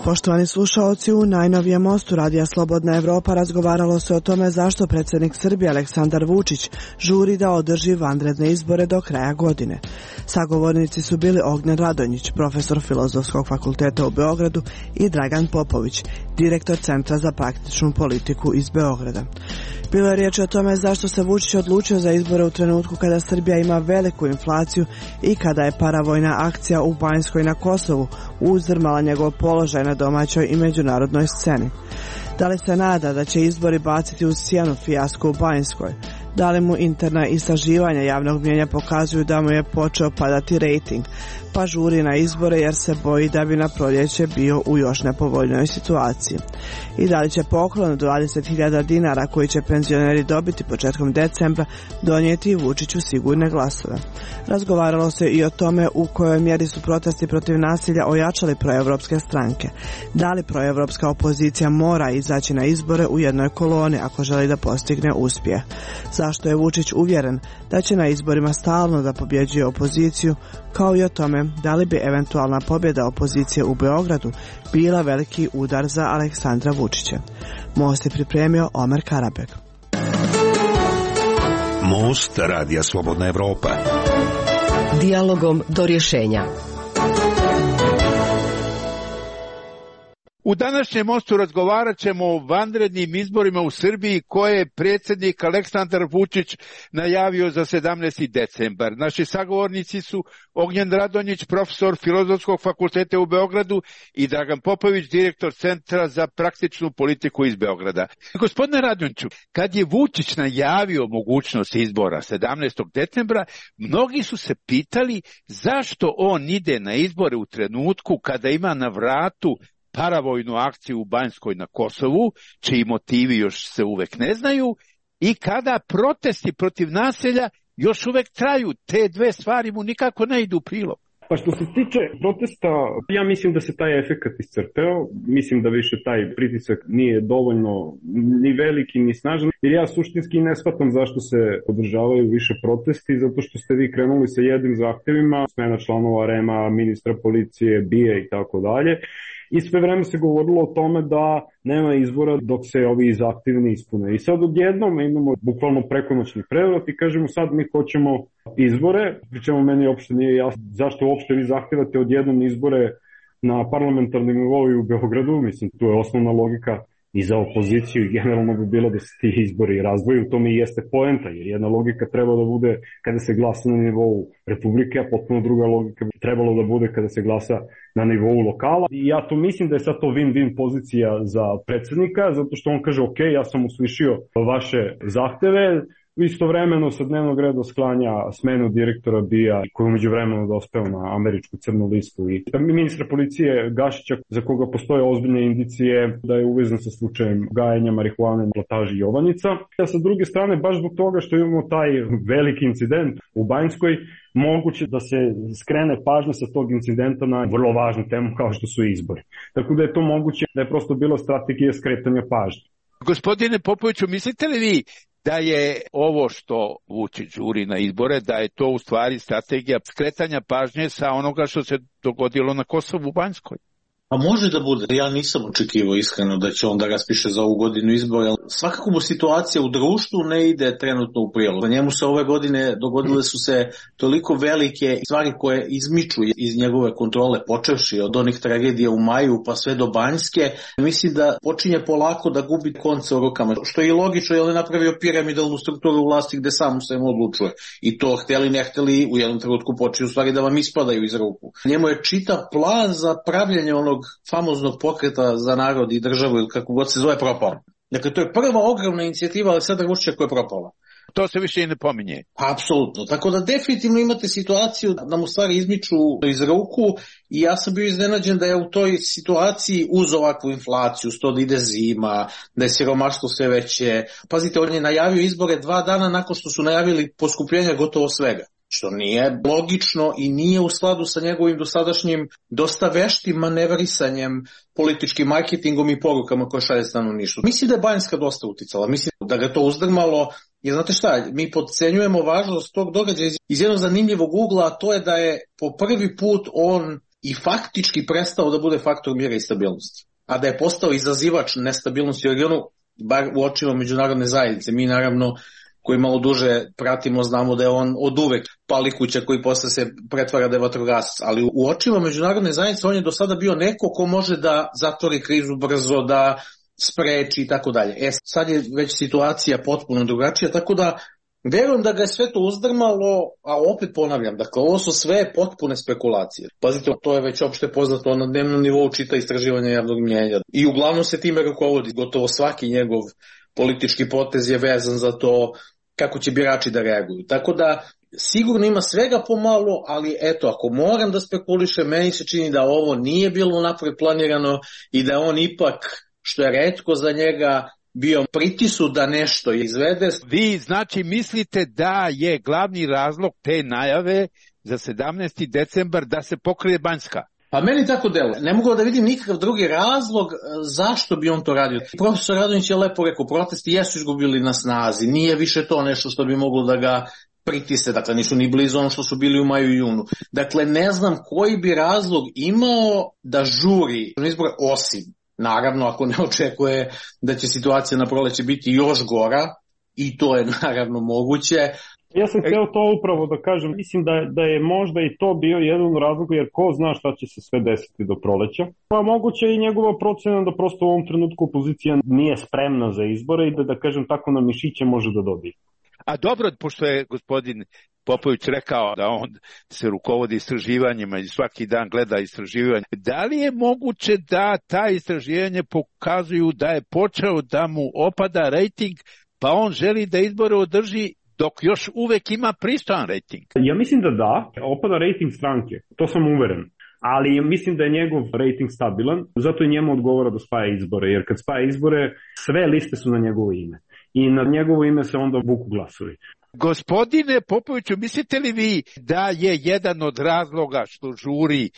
Poštovani slušaoci, u najnovijem mostu Radija Slobodna Evropa razgovaralo se o tome zašto predsjednik Srbije Aleksandar Vučić žuri da održi vanredne izbore do kraja godine. Sagovornici su bili Ognjen Radonjić, profesor Filozofskog fakulteta u Beogradu, i Dragan Popović, direktor Centra za praktičnu politiku iz Beograda. Bilo je riječ o tome zašto se Vučić odlučio za izbore u trenutku kada Srbija ima veliku inflaciju i kada je paravojna akcija u Banjskoj na Kosovu uzdrmala njegov položaj na domaćoj i međunarodnoj sceni. Da li se nada da će izbori baciti u sjenu fijasku u Banjskoj? Da li mu interna istraživanja javnog mnijenja pokazuju da mu je počeo padati rejting, pa žuri na izbore jer se boji da bi na proljeće bio u još nepovoljnoj situaciji? I da li će poklon od dvadeset hiljada dinara koji će penzioneri dobiti početkom decembra donijeti Vučiću sigurne glasove? Razgovaralo se i o tome u kojoj mjeri su protesti protiv nasilja ojačali proevropske stranke. Da li proevropska opozicija mora izaći na izbore u jednoj koloni ako želi da postigne uspjeh? Zašto je Vučić uvjeren da će na izborima stalno da pobjeđuje opoziciju, kao i o tome da li bi eventualna pobjeda opozicije u Beogradu bila veliki udar za Aleksandra Vučića? Most je pripremio Omer Karabek. Most Radija Slobodna Evropa. Dijalogom do rješenja. U današnjem mostu razgovarat ćemo o vanrednim izborima u Srbiji koje je predsjednik Aleksandar Vučić najavio za sedamnaesti decembar. Naši sagovornici su Ognjen Radonjić, profesor Filozofskog fakulteta u Beogradu, i Dragan Popović, direktor Centra za praktičnu politiku iz Beograda. Gospodine Radonjiću, kad je Vučić najavio mogućnost izbora sedamnaestog decembra, mnogi su se pitali zašto on ide na izbore u trenutku kada ima na vratu paravojnu akciju u Banjskoj na Kosovu, čiji motivi još se uvek ne znaju, i kada protesti protiv nasilja još uvek traju. Te dve stvari mu nikako ne idu u prilog. Pa što se tiče protesta, ja mislim da se taj efekat iscrpeo, mislim da više taj pritisak nije dovoljno ni veliki ni snažan, jer ja suštinski ne shvatam zašto se održavaju više protesti, zato što ste vi krenuli sa jednim zahtjevima, smena članova R E M-a, ministra policije, B I A i tako dalje. I sve vreme se govorilo o tome da nema izbora dok se ovi zahtjevi ne ispune. I sad odjednom imamo bukvalno prekonoćni prevrat i kažemo sad mi hoćemo izbore, pričemu meni uopšte nije jasno zašto uopšte vi zahtjevate odjednom izbore na parlamentarnim nivou u Beogradu. Mislim, tu je osnovna logika i za opoziciju i generalno bi bilo da se ti izbori razdvoju. To mi jeste poenta, jer jedna logika treba da bude kada se glasa na nivou Republike, a potpuno druga logika bi trebalo da bude kada se glasa na nivou lokala. I ja to mislim da je sad to win-win pozicija za predsjednika, zato što on kaže ok, ja sam uslišio vaše zahteve, istovremeno sa dnevnog reda sklanja smenu direktora B I A koji umeđu vremenu dospeo na američku crnu listu, i ministra policije Gašića za koga postoje ozbiljne indicije da je uvezan sa slučajem gajenja marihuane na plantaži Jovanjica. A sa druge strane, baš zbog toga što imamo taj veliki incident u Banjskoj, moguće da se skrene pažnja sa tog incidenta na vrlo važnu temu kao što su izbori. Tako da je to moguće da je prosto bila strategija skretanja pažnje. Gospodine Popoviću, mislite li vi da je ovo što Vučić žuri na izbore, da je to u stvari strategija skretanja pažnje sa onoga što se dogodilo na Kosovu u Banjskoj? A može da bude. Ja nisam očekivao iskreno da će on da raspiše za ovu godinu izbora. Svakako mu situacija u društvu ne ide trenutno u prilog. Njemu se ove godine dogodile su se toliko velike stvari koje izmiču iz njegove kontrole, počevši od onih tragedija u maju pa sve do Banjske. Mislim da počinje polako da gubi konce u rukama, što je i logično, jer je napravio piramidalnu strukturu vlasti gde sam se mu odlučuje. I to hteli ne hteli u jednom trenutku počinju stvari da vam ispadaju iz ruku. Njemu je čitav plan za pravljanje onog famoznog pokreta za narod i državu ili kako god se zove propala. Dakle, to je prva ogromna inicijativa Aleksandra Vučića koja je propala. To se više i ne pominje. Apsolutno. Tako da definitivno imate situaciju da mu stvari izmiču iz ruku i ja sam bio iznenađen da je u toj situaciji uz ovakvu inflaciju, sto da ide zima, da je siromaštvo sve veće. Pazite, on je najavio izbore dva dana nakon što su najavili poskupljenja gotovo svega. Što nije logično i nije u skladu sa njegovim dosadašnjim dosta veštim manevrisanjem, političkim marketingom i porukama koje šalje stanovništvu. Mislim da je Banjska dosta uticala, mislim da ga to uzdrmalo. Jer znate šta, mi podcenjujemo važnost tog događaja iz jednog zanimljivog ugla, a to je da je po prvi put on i faktički prestao da bude faktor mira i stabilnosti. A da je postao izazivač nestabilnosti u regionu, bar u očima međunarodne zajednice. Mi naravno koji malo duže pratimo, znamo da je on od uvek palikuća koji posle se pretvara da je vatrogasac, ali u očima međunarodne zajednice on je do sada bio neko ko može da zatvori krizu brzo, da spreči i tako dalje. E, sad je već situacija potpuno drugačija, tako da verujem da ga je sve to uzdrmalo, a opet ponavljam, dakle ovo su sve potpune spekulacije. Pazite, to je već opšte poznato, na dnevnom nivou čita istraživanja javnog mnjenja i uglavnom se time rukovodi, gotovo svaki njegov politički potez je vezan za to kako će birači da reaguju. Tako da sigurno ima svega pomalo, ali eto, ako moram da spekulišem, meni se čini da ovo nije bilo napred planirano i da on ipak, što je retko za njega, bio pritisu da nešto izvede. Vi znači mislite da je glavni razlog te najave za sedamnaesti decembar da se pokrije Banjska? Pa meni tako deluje. Ne mogu da vidim nikakav drugi razlog zašto bi on to radio. Profesor Radonjić je lepo rekao, protesti jesu izgubili na snazi, nije više to nešto što bi moglo da ga pritise, dakle nisu ni blizu ono što su bili u maju i junu. Dakle, ne znam koji bi razlog imao da žuri izbore, osim, naravno, ako ne očekuje da će situacija na proleće biti još gora, i to je naravno moguće. Ja sam htio to upravo da kažem, mislim da, da je možda i to bio jedan razlog, jer ko zna šta će se sve desiti do proleća. Pa moguće i njegova procena da prosto u ovom trenutku opozicija nije spremna za izbore i da, da kažem tako, na mišiće može da dobije. A dobro, pošto je gospodin Popović rekao da on se rukovodi istraživanjima i svaki dan gleda istraživanje, da li je moguće da ta istraživanja pokazuju da je počeo da mu opada rejting, pa on želi da izbore održi dok još uvek ima pristojan rejting? Ja mislim da da, opada rejting stranke, to sam uveren. Ali mislim da je njegov rejting stabilan, zato i njemu odgovara da spaja izbore, jer kad spaja izbore, sve liste su na njegovo ime. I na njegovo ime se onda vuku glasovi. Gospodine Popoviću, mislite li vi da je jedan od razloga što žuri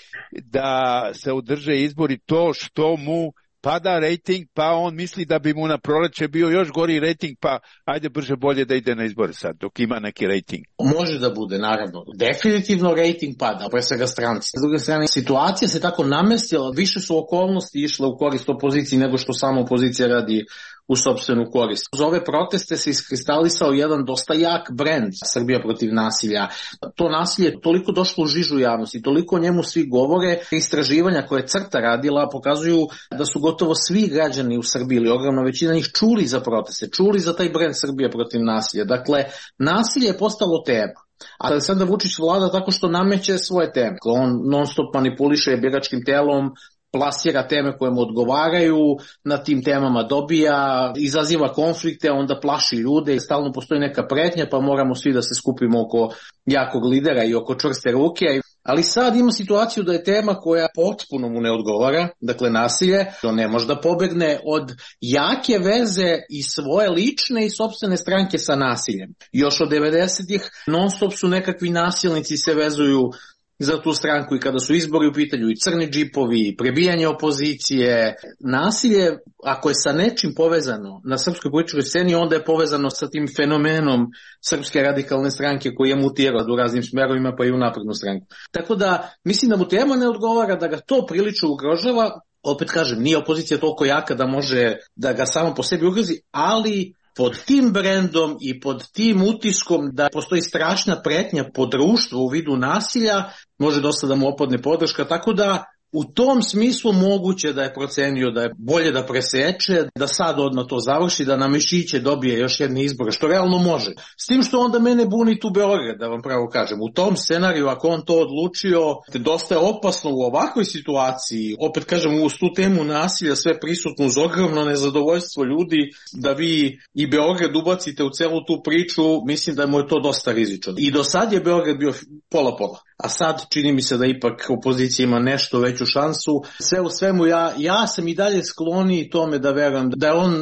da se održe izbori to što mu pada rejting, pa on misli da bi mu na proleće bio još gori rejting, pa ajde brže bolje da ide na izbore sad, dok ima neki rejting? Može da bude, naravno. Definitivno rejting pada, pre svega stranci. S druge strane, situacija se tako namestila, više su okolnosti išle u korist opoziciji nego što sama opozicija radi u sopstvenu korist. Uz ove proteste se iskristalisao jedan dosta jak brend Srbija protiv nasilja. To nasilje je toliko došlo u žižu javnosti, toliko o njemu svi govore. Istraživanja koje je CRTA radila pokazuju da su gotovo svi građani u Srbiji ili ogromna većina njih čuli za proteste, čuli za taj brend Srbija protiv nasilja. Dakle, nasilje je postalo tema. A Aleksandar Vučić vlada tako što nameće svoje teme. On non stop manipuliše biračkim telom, plasira teme koje mu odgovaraju, na tim temama dobija, izaziva konflikte, onda plaši ljude i stalno postoji neka pretnja, pa moramo svi da se skupimo oko jakog lidera i oko čvrste ruke. Ali sad ima situaciju da je tema koja potpuno mu ne odgovara, dakle nasilje, on ne može da pobegne od jake veze i svoje lične i sopstvene stranke sa nasiljem. Još od devedesetih non stop su nekakvi nasilnici se vezuju za tu stranku i kada su izbori u pitanju i crni džipovi, i prebijanje opozicije. Nasilje, ako je sa nečim povezano na srpskoj političkoj sceni, onda je povezano sa tim fenomenom Srpske radikalne stranke koji je mutirao u raznim smerovima, pa i u naprednu stranku. Tako da, mislim da mu tema ne odgovara, da ga to prilično ugrožava. Opet kažem, nije opozicija toliko jaka da može da ga samo po sebi ugrozi, ali pod tim brendom i pod tim utiskom da postoji strašna pretnja po društvu u vidu nasilja, može dosta da mu opadne podrška, tako da U tom smislu moguće da je procenio da je bolje da preseče, da sad odmah to završi, da na mišiće dobije još jedne izbore, što realno može. S tim što onda mene buni tu Beograd, da vam pravo kažem. U tom scenariju, ako on to odlučio, dosta je opasno u ovakvoj situaciji, opet kažem, uz tu temu nasilja sve prisutno, uz ogromno nezadovoljstvo ljudi, da vi i Beograd ubacite u celu tu priču, mislim da mu je to dosta rizično. I do sad je Beograd bio pola-pola. A sad čini mi se da ipak opozicija ima nešto veću šansu. Sve u svemu ja, ja sam i dalje skloniji tome da verujem da je on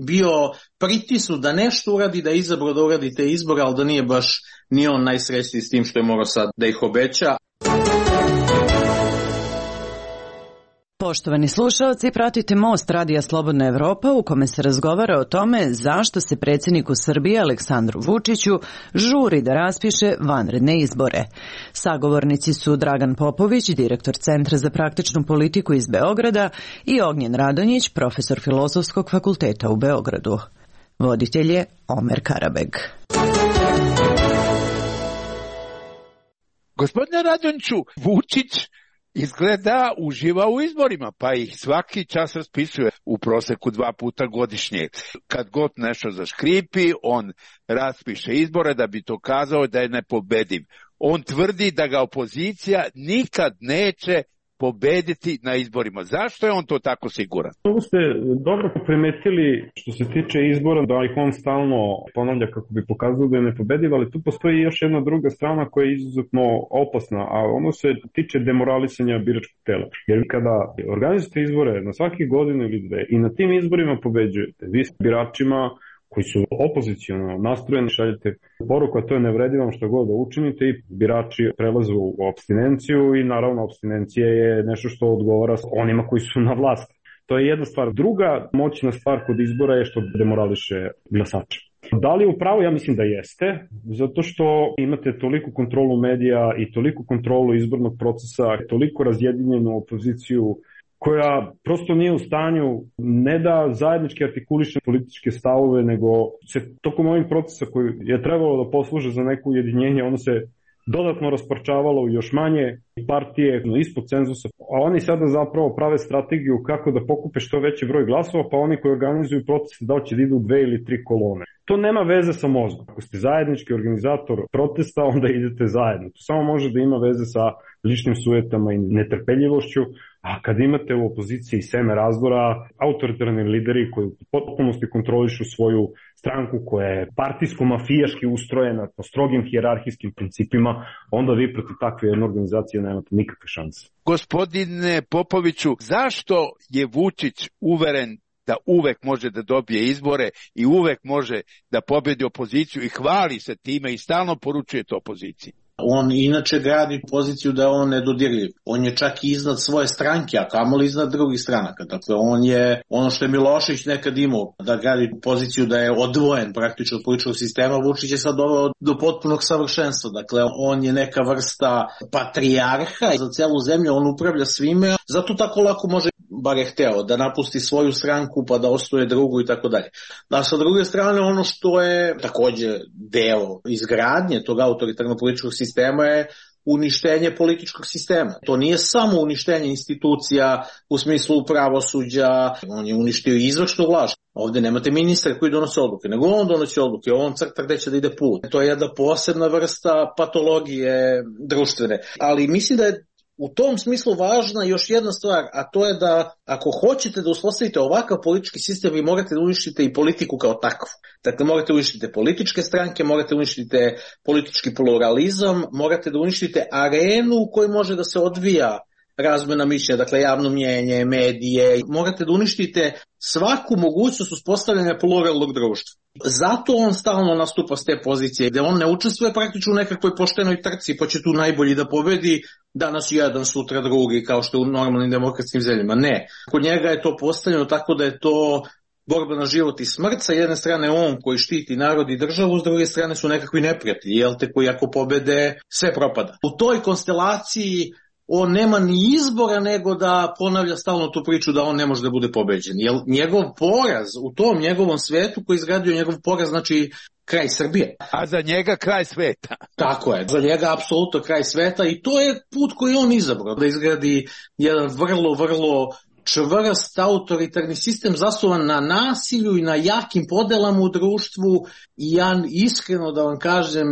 bio pritisnut da nešto uradi, da je izabrao da uradi te izbore, ali da nije baš ni on najsrećniji s tim što je morao sad da ih obeća. Poštovani slušalci, pratite Most Radija Slobodna Evropa u kome se razgovara o tome zašto se predsjedniku Srbije Aleksandru Vučiću žuri da raspiše vanredne izbore. Sagovornici su Dragan Popović, direktor Centra za praktičnu politiku iz Beograda, i Ognjen Radonjić, profesor Filozofskog fakulteta u Beogradu. Voditelj je Omer Karabeg. Gospodine Radonjiću, Vučić izgleda uživa u izborima, pa ih svaki čas raspisuje u proseku dva puta godišnje. Kad god nešto zaškripi, on raspiše izbore da bi to kazao da je nepobediv. On tvrdi da ga opozicija nikad neće pobediti na izborima. Zašto je on to tako siguran? Ovo ste dobro primetili što se tiče izbora, da ih on stalno ponavlja kako bi pokazao da je nepobediv, ali tu postoji još jedna druga strana koja je izuzetno opasna, a ono se tiče demoralisanja biračkog tela. Jer kada organizujete izbore na svake godine ili dve i na tim izborima pobeđujete, vi s biračima koji su opoziciono nastrojeni, šaljete poruku, a to je ne vredi vam što god da učinite, i birači prelaze u apstinenciju i naravno apstinencija je nešto što odgovara onima koji su na vlasti. To je jedna stvar. Druga moćna stvar kod izbora je što demorališe glasače. Da li je upravo? Ja mislim da jeste, zato što imate toliku kontrolu medija i toliku kontrolu izbornog procesa, toliko razjedinjenu opoziciju koja prosto nije u stanju ne da zajednički artikuliše političke stavove, nego se tokom ovih procesa koji je trebalo da posluže za neko ujedinjenje, ono se dodatno rasparčavalo u još manje partije ispod cenzusa, a oni sada zapravo prave strategiju kako da pokupe što veći broj glasova, pa oni koji organizuju proteste da će da idu dve ili tri kolone. To nema veze sa mozgom. Ako ste zajednički organizator protesta, onda idete zajedno. To samo može da ima veze sa ličnim sujetama i netrpeljivošću, a kad imate u opoziciji seme razdora, autoritarni lideri koji u potpunosti kontrolišu svoju stranku koja je partijsko-mafijaški ustrojena po strogim hijerarhijskim principima, onda vi protiv takve jedne organizacije nemate nikakve šanse. Gospodine Popoviću, zašto je Vučić uveren da uvek može da dobije izbore i uvek može da pobedi opoziciju i hvali se time i stalno poručuje to opoziciji? On inače gradi poziciju da je on nedodirljiv. On je čak i iznad svoje stranke, a kamoli iznad drugih stranaka. Dakle, on je ono što je Milošević nekad imao, da gradi poziciju da je odvojen praktično od političkog sistema. Vučić je sad doveo do potpunog savršenstva. Dakle, on je neka vrsta patrijarha za celu zemlju, on upravlja svime, zato tako lako može, bar je hteo, da napusti svoju stranku pa da ostaje drugu i tako dalje. A sa druge strane, ono što je takođe deo izgradnje tog autoritarnog političkog sistema je uništenje političkog sistema. To nije samo uništenje institucija u smislu pravosuđa, on je uništio i izvršnu vlast. Ovde nemate ministra koji donose odluke, nego on donosi odluke, on crta gde će da ide put. To je jedna posebna vrsta patologije društvene. Ali mislim da je u tom smislu važna još jedna stvar, a to je da ako hoćete da uspostavite ovakav politički sistem, vi morate da uništite i politiku kao takvu. Dakle, morate da uništite političke stranke, morate da uništite politički pluralizam, morate da uništite arenu u kojoj može da se odvija razmena mišljenja, dakle javno mnjenje, medije. Morate da uništite svaku mogućnost uspostavljanja pluralnog društva. Zato on stalno nastupa s te pozicije, gde on ne učestvuje praktično u nekakvoj poštenoj trci, pa će tu najbolji da pobedi, danas jedan, sutra drugi, kao što je u normalnim demokratskim zemljama. Ne. Kod njega je to postavljeno tako da je to borba na život i smrt. Sa jedne strane on koji štiti narod i državu, s druge strane su nekakvi neprijatelji, jel te, koji ako pobede, sve propada. U toj konstelaciji on nema ni izbora nego da ponavlja stalno tu priču da on ne može da bude pobeđen. Jer njegov poraz u tom njegovom svetu koji izgradio njegov poraz, znači kraj Srbije. A za njega kraj sveta. Tako je, za njega apsolutno kraj sveta i to je put koji on izabrao, da izgradi jedan vrlo, vrlo čvrst autoritarni sistem zasnovan na nasilju i na jakim podelama u društvu i ja iskreno da vam kažem,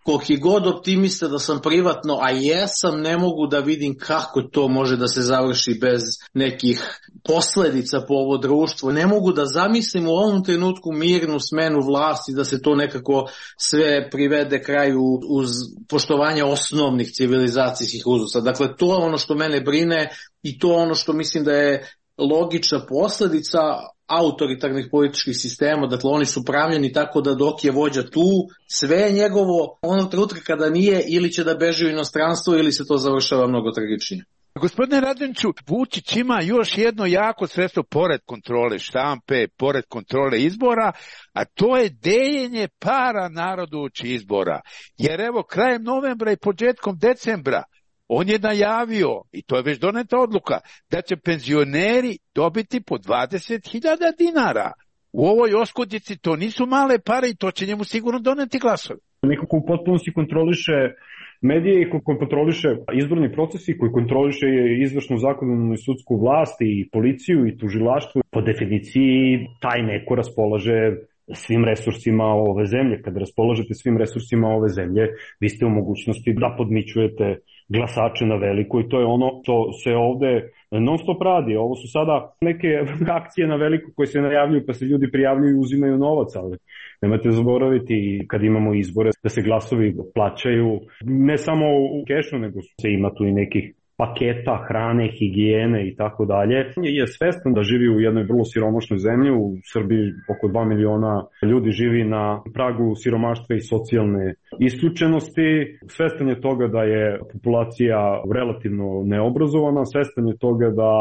koliki god optimista da sam privatno, a jesam, ne mogu da vidim kako to može da se završi bez nekih posledica po ovo društvo. Ne mogu da zamislim u ovom trenutku mirnu smenu vlasti, da se to nekako sve privede kraju uz poštovanje osnovnih civilizacijskih uzusa. Dakle, to je ono što mene brine i to je ono što mislim da je logična posledica autoritarnih političkih sistema, dakle oni su pravljeni tako da dok je vođa tu, sve je njegovo, onog trenutka kada nije, ili će da beži u inostranstvo ili se to završava mnogo tragičnije. Gospodine Radonjiću, Vučić ima još jedno jako sredstvo pored kontrole štampe, pored kontrole izbora, a to je deljenje para narodu uoči izbora. Jer evo, krajem novembra i početkom decembra on je najavio, i to je već doneta odluka, da će penzioneri dobiti po dvadeset hiljada dinara. U ovoj oskudici to nisu male pare i to će njemu sigurno doneti glasove. Nekako u potpunosti kontroliše medije i koji kontroliše izborni procesi, koji kontroliše izvršnu, zakonodavnu i sudsku vlast i policiju i tužilaštvo. Po definiciji taj neko raspolaže svim resursima ove zemlje. Kada raspolažete svim resursima ove zemlje, vi ste u mogućnosti da podmićujete glasače na veliko i to je ono što se ovde non stop radi. Ovo su sada neke akcije na veliko koje se najavljuju pa se ljudi prijavljuju i uzimaju novac, ali nemojte zaboraviti kad imamo izbore da se glasovi plaćaju ne samo u kešu, nego se ima tu i nekih paketa, hrane, higijene i tako dalje. Je svestan da živi u jednoj vrlo siromašnoj zemlji, u Srbiji oko dva miliona ljudi živi na pragu siromaštva i socijalne isključenosti. Svestan je toga da je populacija relativno neobrazovana, svestan je toga da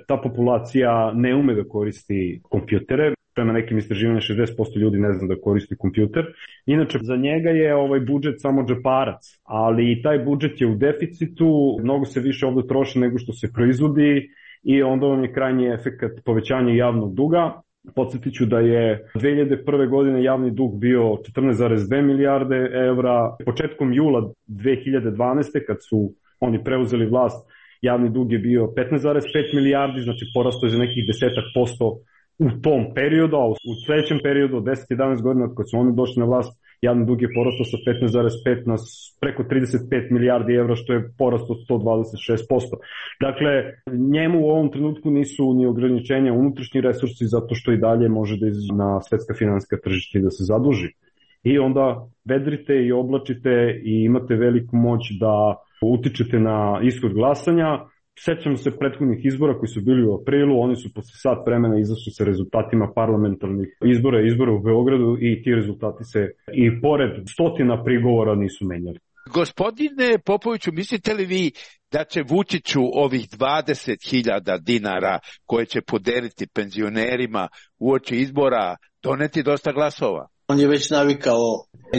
ta populacija ne ume da koristi kompjutere. Prema nekim istraživanjima šezdeset posto ljudi ne zna da koristi kompjuter. Inače, za njega je ovaj budžet samo džeparac, ali taj budžet je u deficitu, mnogo se više ovde troši nego što se proizvodi i onda on je krajnji efekat povećanja javnog duga. Podsjetit ću da je dve hiljade prve. godine javni dug bio četrnaest zarez dve milijarde evra. Početkom jula dve hiljade dvanaeste. kad su oni preuzeli vlast, javni dug je bio petnaest zarez pet milijardi, znači porastao je za nekih desetak posto u tom periodu, a u sledećem periodu od deset do jedanaest godina kad su oni došli na vlast, javni dug je porastao sa petnaest zarez pet na preko trideset pet milijardi evra, što je porastao sto dvadeset šest posto. Dakle, njemu u ovom trenutku nisu ni ograničenja unutrašnji resursi, zato što i dalje može da izađe na svetska finansijska tržišta i da se zaduži. I onda vedrite i oblačite i imate veliku moć da utičete na ishod glasanja. Sećamo se prethodnih izbora koji su bili u aprilu, oni su posle sat vremena izašli sa rezultatima parlamentarnih izbora i izbora u Beogradu i ti rezultati se i pored stotina prigovora nisu menjali. Gospodine Popoviću, mislite li vi da će Vučiću ovih dvadeset hiljada dinara koje će podeliti penzionerima uoči izbora doneti dosta glasova? On je već navikao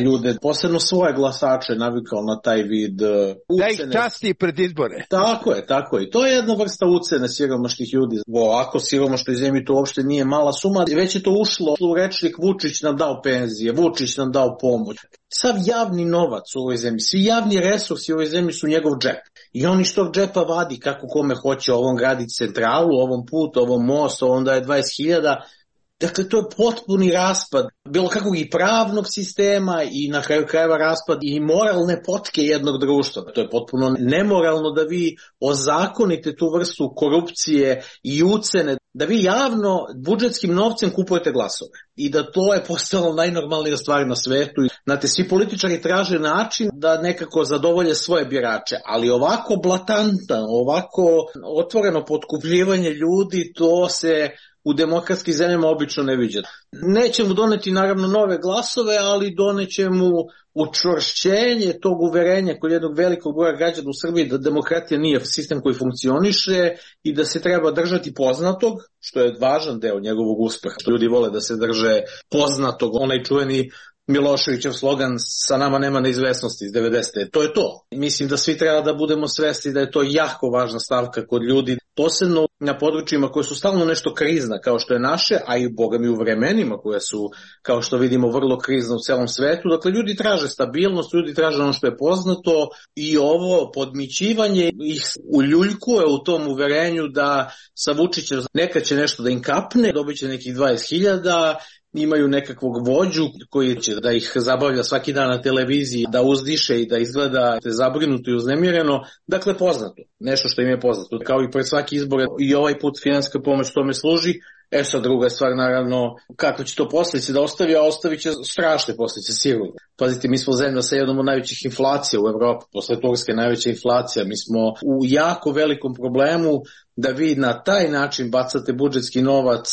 ljude, posebno svoje glasače, navikao na taj vid ucene. Da ih časti pred izbore. Tako je, tako je. To je jedna vrsta ucene siromašnih ljudi. Ovako siromašnoj zemlji to uopšte nije mala suma. Već je to ušlo u rečnik Vučić nam dao penzije, Vučić nam dao pomoć. Sav javni novac u ovoj zemlji, svi javni resursi u ovoj zemlji su njegov džep. I on iz tog džepa vadi kako kome hoće, ovom graditi centralu, ovom put, ovom most, ovom daje dvadeset hiljada. Dakle, to je potpuni raspad bilo kakvog i pravnog sistema i na kraju krajeva raspad i moralne potke jednog društva. To je potpuno nemoralno da vi ozakonite tu vrstu korupcije i ucene, da vi javno budžetskim novcem kupujete glasove i da to je postalo najnormalnija stvar na svetu. Znate, svi političari traže način da nekako zadovolje svoje birače, ali ovako blatantan, ovako otvoreno potkupljivanje ljudi, to se u demokratskim zemljama obično ne viđa. Neće mu doneti naravno nove glasove, ali doneće mu učvršćenje tog uverenja kod jednog velikog broja građana u Srbiji da demokratija nije sistem koji funkcioniše i da se treba držati poznatog, što je važan deo njegovog uspeha. Ljudi vole da se drže poznatog, onaj čuveni Miloševićev slogan sa nama nema neizvesnosti iz devedesete. To je to. Mislim da svi treba da budemo svesni da je to jako važna stavka kod ljudi, posebno na područjima koje su stalno nešto krizna, kao što je naše, a i boga mi u vremenima koje su, kao što vidimo, vrlo krizna u celom svetu. Dakle, ljudi traže stabilnost, ljudi traže ono što je poznato i ovo podmićivanje ih uljuljkuje u tom uverenju da sa Vučićem nekad će nešto da im kapne, dobit će nekih dvadeset hiljada, imaju nekakvog vođu koji će da ih zabavlja svaki dan na televiziji, da uzdiše i da izgleda zabrinuto i uznemireno. Dakle, poznato. Nešto što im je poznato. Kao i pred svaki izbor i ovaj put finansijska pomoć tome služi. E sad druga stvar, naravno, kako će to posljedice da ostavi, a ostavit će strašne posljedice sigurno. Pazite, mi smo zemlja sa jednom od najvećih inflacija u Evropi, posle Turske najveća inflacija. Mi smo u jako velikom problemu da vi na taj način bacate budžetski novac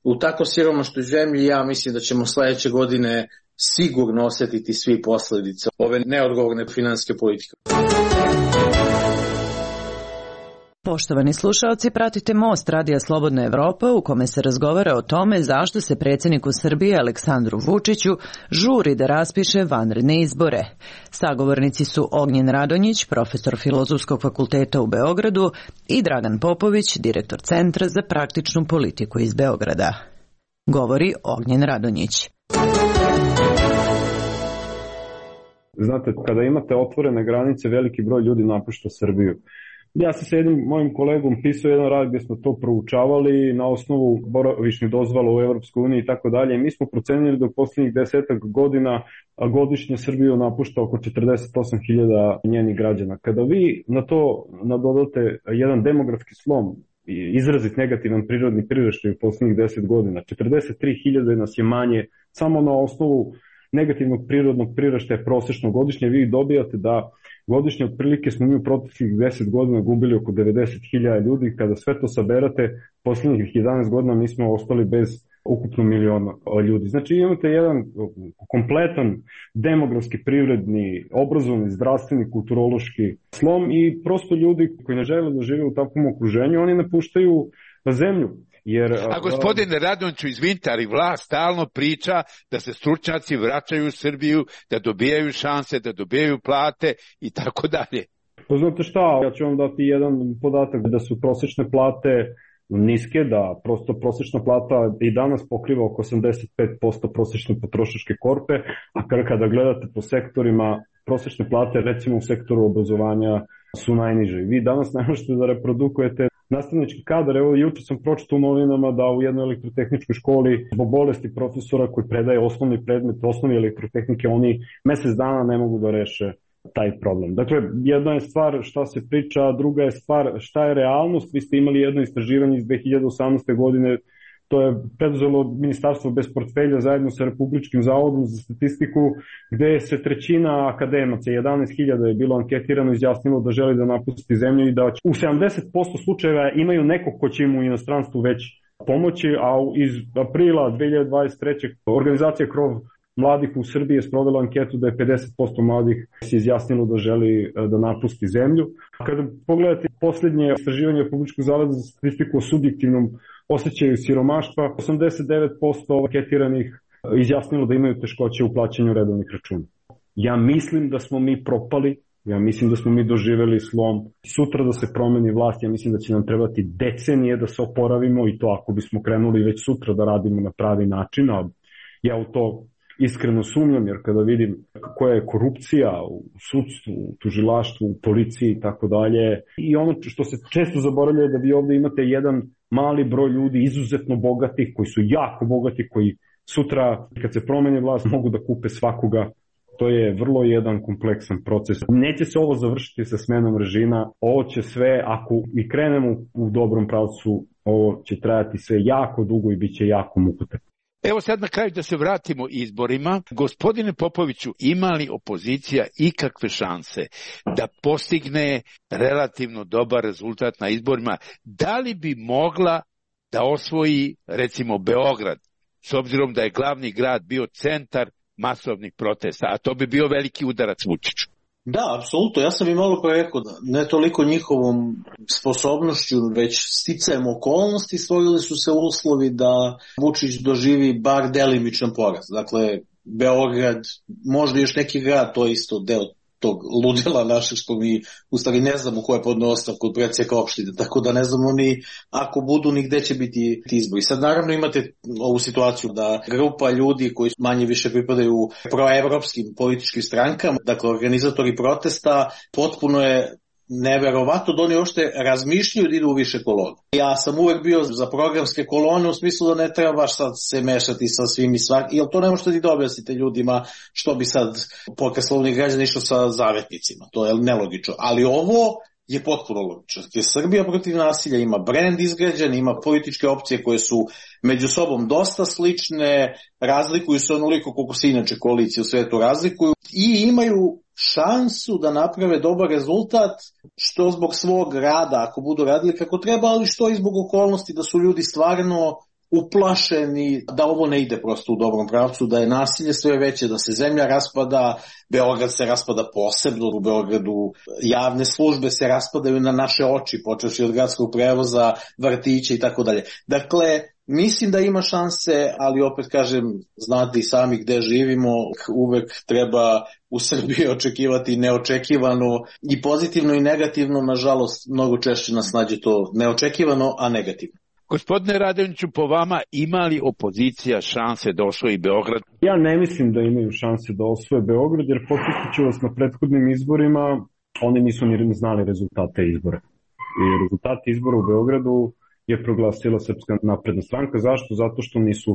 u tako siromašnoj zemlji. Ja mislim da ćemo sledeće godine sigurno osjetiti svi posljedice ove neodgovorne finansijske politike. Poštovani slušaoci, pratite Most Radija Slobodna Evropa u kome se razgovara o tome zašto se predsjedniku Srbije Aleksandru Vučiću žuri da raspiše vanredne izbore. Sagovornici su Ognjen Radonjić, profesor Filozofskog fakulteta u Beogradu, i Dragan Popović, direktor Centra za praktičnu politiku iz Beograda. Govori Ognjen Radonjić. Znate, kada imate otvorene granice, veliki broj ljudi napušta Srbiju. Ja sam sa jednim mojim kolegom pisao jedan rad gdje smo to proučavali na osnovu boravišnih dozvola u Evropskoj uniji i tako dalje. Mi smo procenili da u posljednjih desetak godina godišnje Srbiju napušta oko četrdeset osam hiljada njenih građana. Kada vi na to nadodate jedan demografski slom, izrazit negativan prirodni priraštaj u posljednjih deset godina, četrdeset tri hiljade nas je manje samo na osnovu negativnog prirodnog priraštaja prosečno godišnje, vi dobijate da godišnje otprilike smo mi u proteklih deset godina gubili oko devedeset hiljada ljudi. Kada sve to saberate, posljednjih jedanaest godina mi smo ostali bez ukupno miliona ljudi. Znači imate jedan kompletan demografski, privredni, obrazovni, zdravstveni, kulturološki slom i prosto ljudi koji ne žele da žive u takvom okruženju, oni napuštaju zemlju. Jer, a gospodine Radonjiću, izvinite, ali vlast stalno priča da se stručnjaci vraćaju u Srbiju, da dobijaju šanse, da dobijaju plate i tako dalje. Pa znate šta, ja ću vam dati jedan podatak da su prosječne plate niske, da prosto prosječna plata i danas pokriva oko osamdeset pet posto prosječne potrošačke korpe, a kada gledate po sektorima, prosječne plate recimo u sektoru obrazovanja su najniže. Vi danas ne možete da reprodukujete nastavnički kadar. Evo, juče sam pročitao u novinama da u jednoj elektrotehničkoj školi zbog bolesti profesora koji predaje osnovni predmet, osnovi elektrotehnike, oni mesec dana ne mogu da reše taj problem. Dakle, jedna je stvar šta se priča, a druga je stvar šta je realnost. Vi ste imali jedno istraživanje iz dve hiljade osamnaeste. godine, to je preduzelo Ministarstvo bez portfelja zajedno sa Republičkim zavodom za statistiku, gde se trećina akademaca, jedanaest hiljada je bilo anketirano, izjasnilo da želi da napusti zemlju i da u sedamdeset posto slučajeva imaju nekog ko će im u inostranstvu već pomoći, a iz aprila dve hiljade dvadeset treće. organizacija Krov mladih u Srbiji je sprovela anketu da je pedeset posto mladih se izjasnilo da želi da napusti zemlju. Kada pogledate posljednje istraživanje Republičkog zavoda za statistiku o subjektivnom osjećaju siromaštva, osamdeset devet posto anketiranih izjasnilo da imaju teškoće u plaćanju redovnih računa. Ja mislim da smo mi propali, ja mislim da smo mi doživjeli slom. Sutra da se promeni vlast, ja mislim da će nam trebati decenije da se oporavimo i to ako bismo krenuli već sutra da radimo na pravi način, a ja u to iskreno sumnjam, jer kada vidim koja je korupcija u sudstvu, u tužilaštvu, u policiji i tako dalje, i ono što se često zaboravlja je da vi ovdje imate jedan mali broj ljudi izuzetno bogatih, koji su jako bogati, koji sutra kad se promeni vlast mogu da kupe svakoga. To je vrlo jedan kompleksan proces. Neće se ovo završiti sa smenom režima, ovo će sve, ako i krenemo u dobrom pravcu, ovo će trajati sve jako dugo i bit će jako mukotrpno. Evo sad na kraju da se vratimo izborima. Gospodine Popoviću, ima li opozicija ikakve šanse da postigne relativno dobar rezultat na izborima? Da li bi mogla da osvoji recimo Beograd, s obzirom da je glavni grad bio centar masovnih protesta, a to bi bio veliki udarac Vučiću? Da, apsolutno. Ja sam i malo pre rekao da ne toliko njihovom sposobnošću, već sticajem okolnosti stvorili su se uslovi da Vučić doživi bar delimičan poraz. Dakle, Beograd, možda još neki grad, to je isto deo tog ludila našeg što mi u stvari ne znamo ko je podneo ostavku od predsjednika opštine, tako da ne znamo ni ako budu ni gde će biti izbori. Sad naravno imate ovu situaciju da grupa ljudi koji manje više pripadaju proevropskim političkim strankama, dakle organizatori protesta, potpuno je neverovatno da oni uopšte razmišljaju da idu u više kolona. Ja sam uvek bio za programske kolone u smislu da ne treba baš sad se mešati sa svim i svak, jer to ne možete ni da objasnite ljudima što bi sad pokret slobodnih građana išao sa zavetnicima. To je nelogično. Ali ovo je potpuno logično. Jer Srbija protiv nasilja ima brend izgrađen, ima političke opcije koje su među sobom dosta slične, razlikuju se onoliko koliko se inače koalicije u svetu razlikuju i imaju šansu da naprave dobar rezultat, što zbog svog rada, ako budu radili kako treba, ali što i zbog okolnosti da su ljudi stvarno uplašeni, da ovo ne ide prosto u dobrom pravcu, da je nasilje sve veće, da se zemlja raspada, Beograd se raspada posebno, u Beogradu javne službe se raspadaju na naše oči, počevši od gradskog prevoza, vrtića i tako dalje. Dakle, mislim da ima šanse, ali opet kažem, znate i sami gde živimo, uvek treba u Srbiji očekivati neočekivano i pozitivno i negativno, nažalost, mnogo češće nas nađe to neočekivano, a negativno. Gospodine Radonjiću, po vama ima li opozicija šanse da osvoji Beograd? Ja ne mislim da imaju šanse da osvoje Beograd, jer podsjetit ću vas na prethodnim izborima, oni nisu ni znali rezultate izbora. I rezultate izbora u Beogradu je proglasila Srpska napredna stranka. Zašto? Zato što nisu,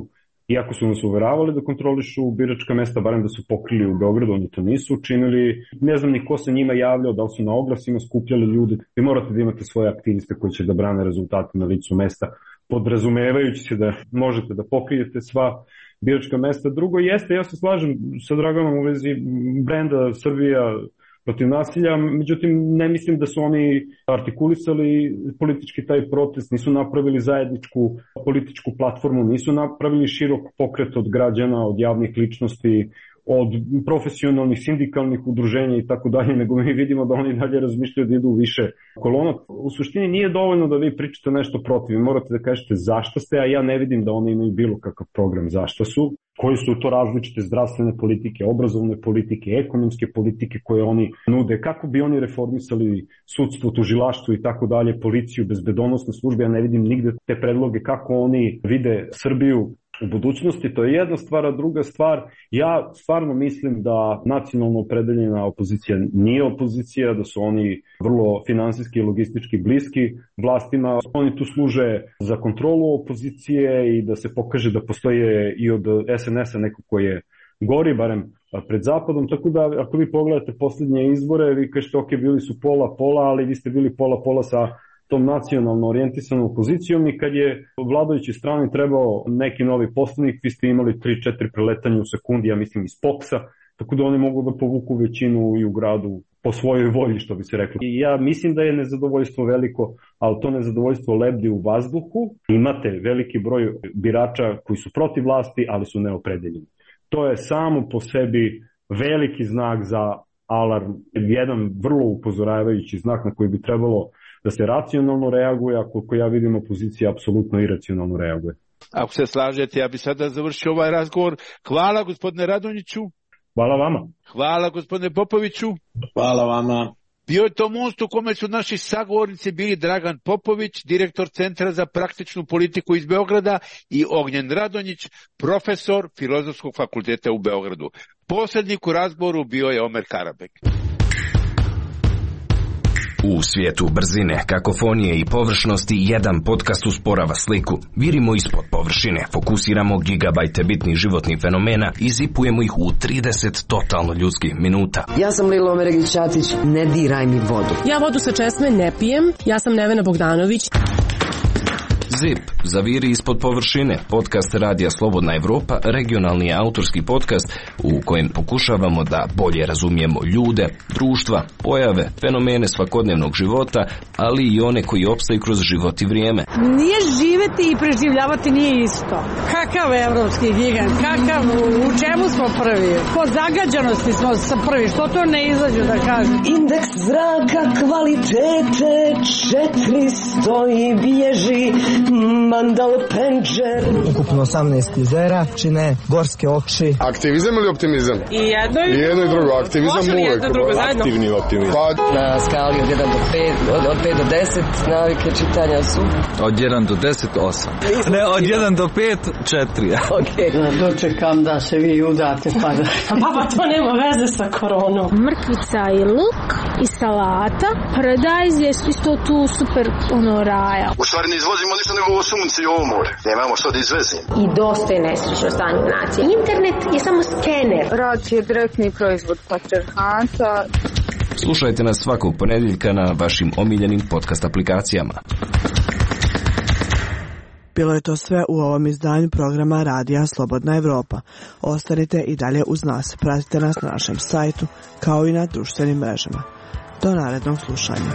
iako su nas uveravali da kontrolišu biračka mesta, barem da su pokrili u Beogradu, oni to nisu učinili. Ne znam ni ko se njima javljao, da li su na oglasima skupljali ljude. Vi morate da imate svoje aktiviste koji će da brane rezultate na licu mesta, podrazumevajući se da možete da pokrijete sva biračka mesta. Drugo jeste, ja se slažem sa Draganom u vezi brenda Srbija protiv nasilja, međutim ne mislim da su oni artikulisali politički taj protest, nisu napravili zajedničku političku platformu, nisu napravili širok pokret od građana, od javnih ličnosti, od profesionalnih, sindikalnih udruženja i tako dalje, nego mi vidimo da oni dalje razmišljaju da idu u više kolona. U suštini nije dovoljno da vi pričate nešto protiv, vi morate da kažete zašto ste, a ja ne vidim da oni imaju bilo kakav program zašto su, koji su to različite zdravstvene politike, obrazovne politike, ekonomske politike koje oni nude, kako bi oni reformisali sudstvo, tužilaštvo i tako dalje, policiju, bezbedonosne službe, ja ne vidim nigde te predloge kako oni vide Srbiju u budućnosti. To je jedna stvar, a druga stvar, ja stvarno mislim da nacionalno opredeljena opozicija nije opozicija, da su oni vrlo finansijski i logistički bliski vlastima. Oni tu služe za kontrolu opozicije i da se pokaže da postoje i od es en es a neko koji je gori, barem pred zapadom, tako da ako vi pogledate posljednje izbore, vi kažete ok, bili su pola-pola, ali vi ste bili pola-pola sa tom nacionalno orijentisanom opozicijom i kad je vladajući strani trebao neki novi poslanik, vi ste imali tri četiri preletanja u sekundi, ja mislim iz Poksa, tako da oni mogu da povuku većinu i u gradu po svojoj volji, što bi se reklo. I ja mislim da je nezadovoljstvo veliko, ali to nezadovoljstvo lebdi u vazduhu. Imate veliki broj birača koji su protiv vlasti, ali su neopredeljeni. To je samo po sebi veliki znak za alarm, jedan vrlo upozoravajući znak na koji bi trebalo da se racionalno reaguje, a koliko ja vidim opozicija apsolutno iracionalno reaguje. Ako se slažete, ja bi sada završio ovaj razgovor. Hvala gospodine Radonjiću. Hvala vama. Hvala gospodine Popoviću. Hvala vama. Bio je to most u kome su naši sagovornici bili Dragan Popović, direktor Centra za praktičnu politiku iz Beograda, i Ognjen Radonjić, profesor Filozofskog fakulteta u Beogradu. Posrednik u razgovoru bio je Omer Karabek. U svijetu brzine, kakofonije i površnosti jedan podcast usporava sliku. Virimo ispod površine, fokusiramo gigabajte bitnih životnih fenomena i zipujemo ih u trideset totalno ljudskih minuta. Ja sam Lilo Omeregić-Ćatić, ne diraj mi vodu. Ja vodu sa česme ne pijem, ja sam Nevena Bogdanović. Zip, zaviri ispod površine, podcast Radija Slobodna Evropa, regionalni autorski podcast u kojem pokušavamo da bolje razumijemo ljude, društva, pojave, fenomene svakodnevnog života, ali i one koji opstaju kroz život i vrijeme. Nije živeti i preživljavati nije isto. Kakav evropski gigant, kakav, u čemu smo prvi? Po zagađanosti smo prvi, što to ne izađu da kažem? Indeks zraka kvalitete četiristo i bježi mandal penđer. Ukupno osamnaest jezera čine gorske oči. Aktivizam ili optimizam? I jedno i, I jedno i drugo. Aktivizam uvek. Aktivni optimizam. Pa, na skali od jedan do pet, od, od pet do deset navike čitanja su? Od jedan do deset, osam. Ne, od jedan do pet, četiri. Okej. Okay. Dočekam da se vi udate pa da... Baba, to nema veze sa koronom. Mrkvica i luk i salata. Paradajz je isto tu super ono raja. U stvari ne izvozimo ništa nego ovo sunce i ovo more. Nemamo što da izvezimo. I dosta je nesrećno stanje nacije. Internet je samo skener. Rad je direktni proizvod patrijarhata. Slušajte nas svakog ponedjeljka na vašim omiljenim podcast aplikacijama. Bilo je to sve u ovom izdanju programa Radija Slobodna Evropa. Ostanite i dalje uz nas. Pratite nas na našem sajtu kao i na društvenim mrežama. Do narednog slušanja.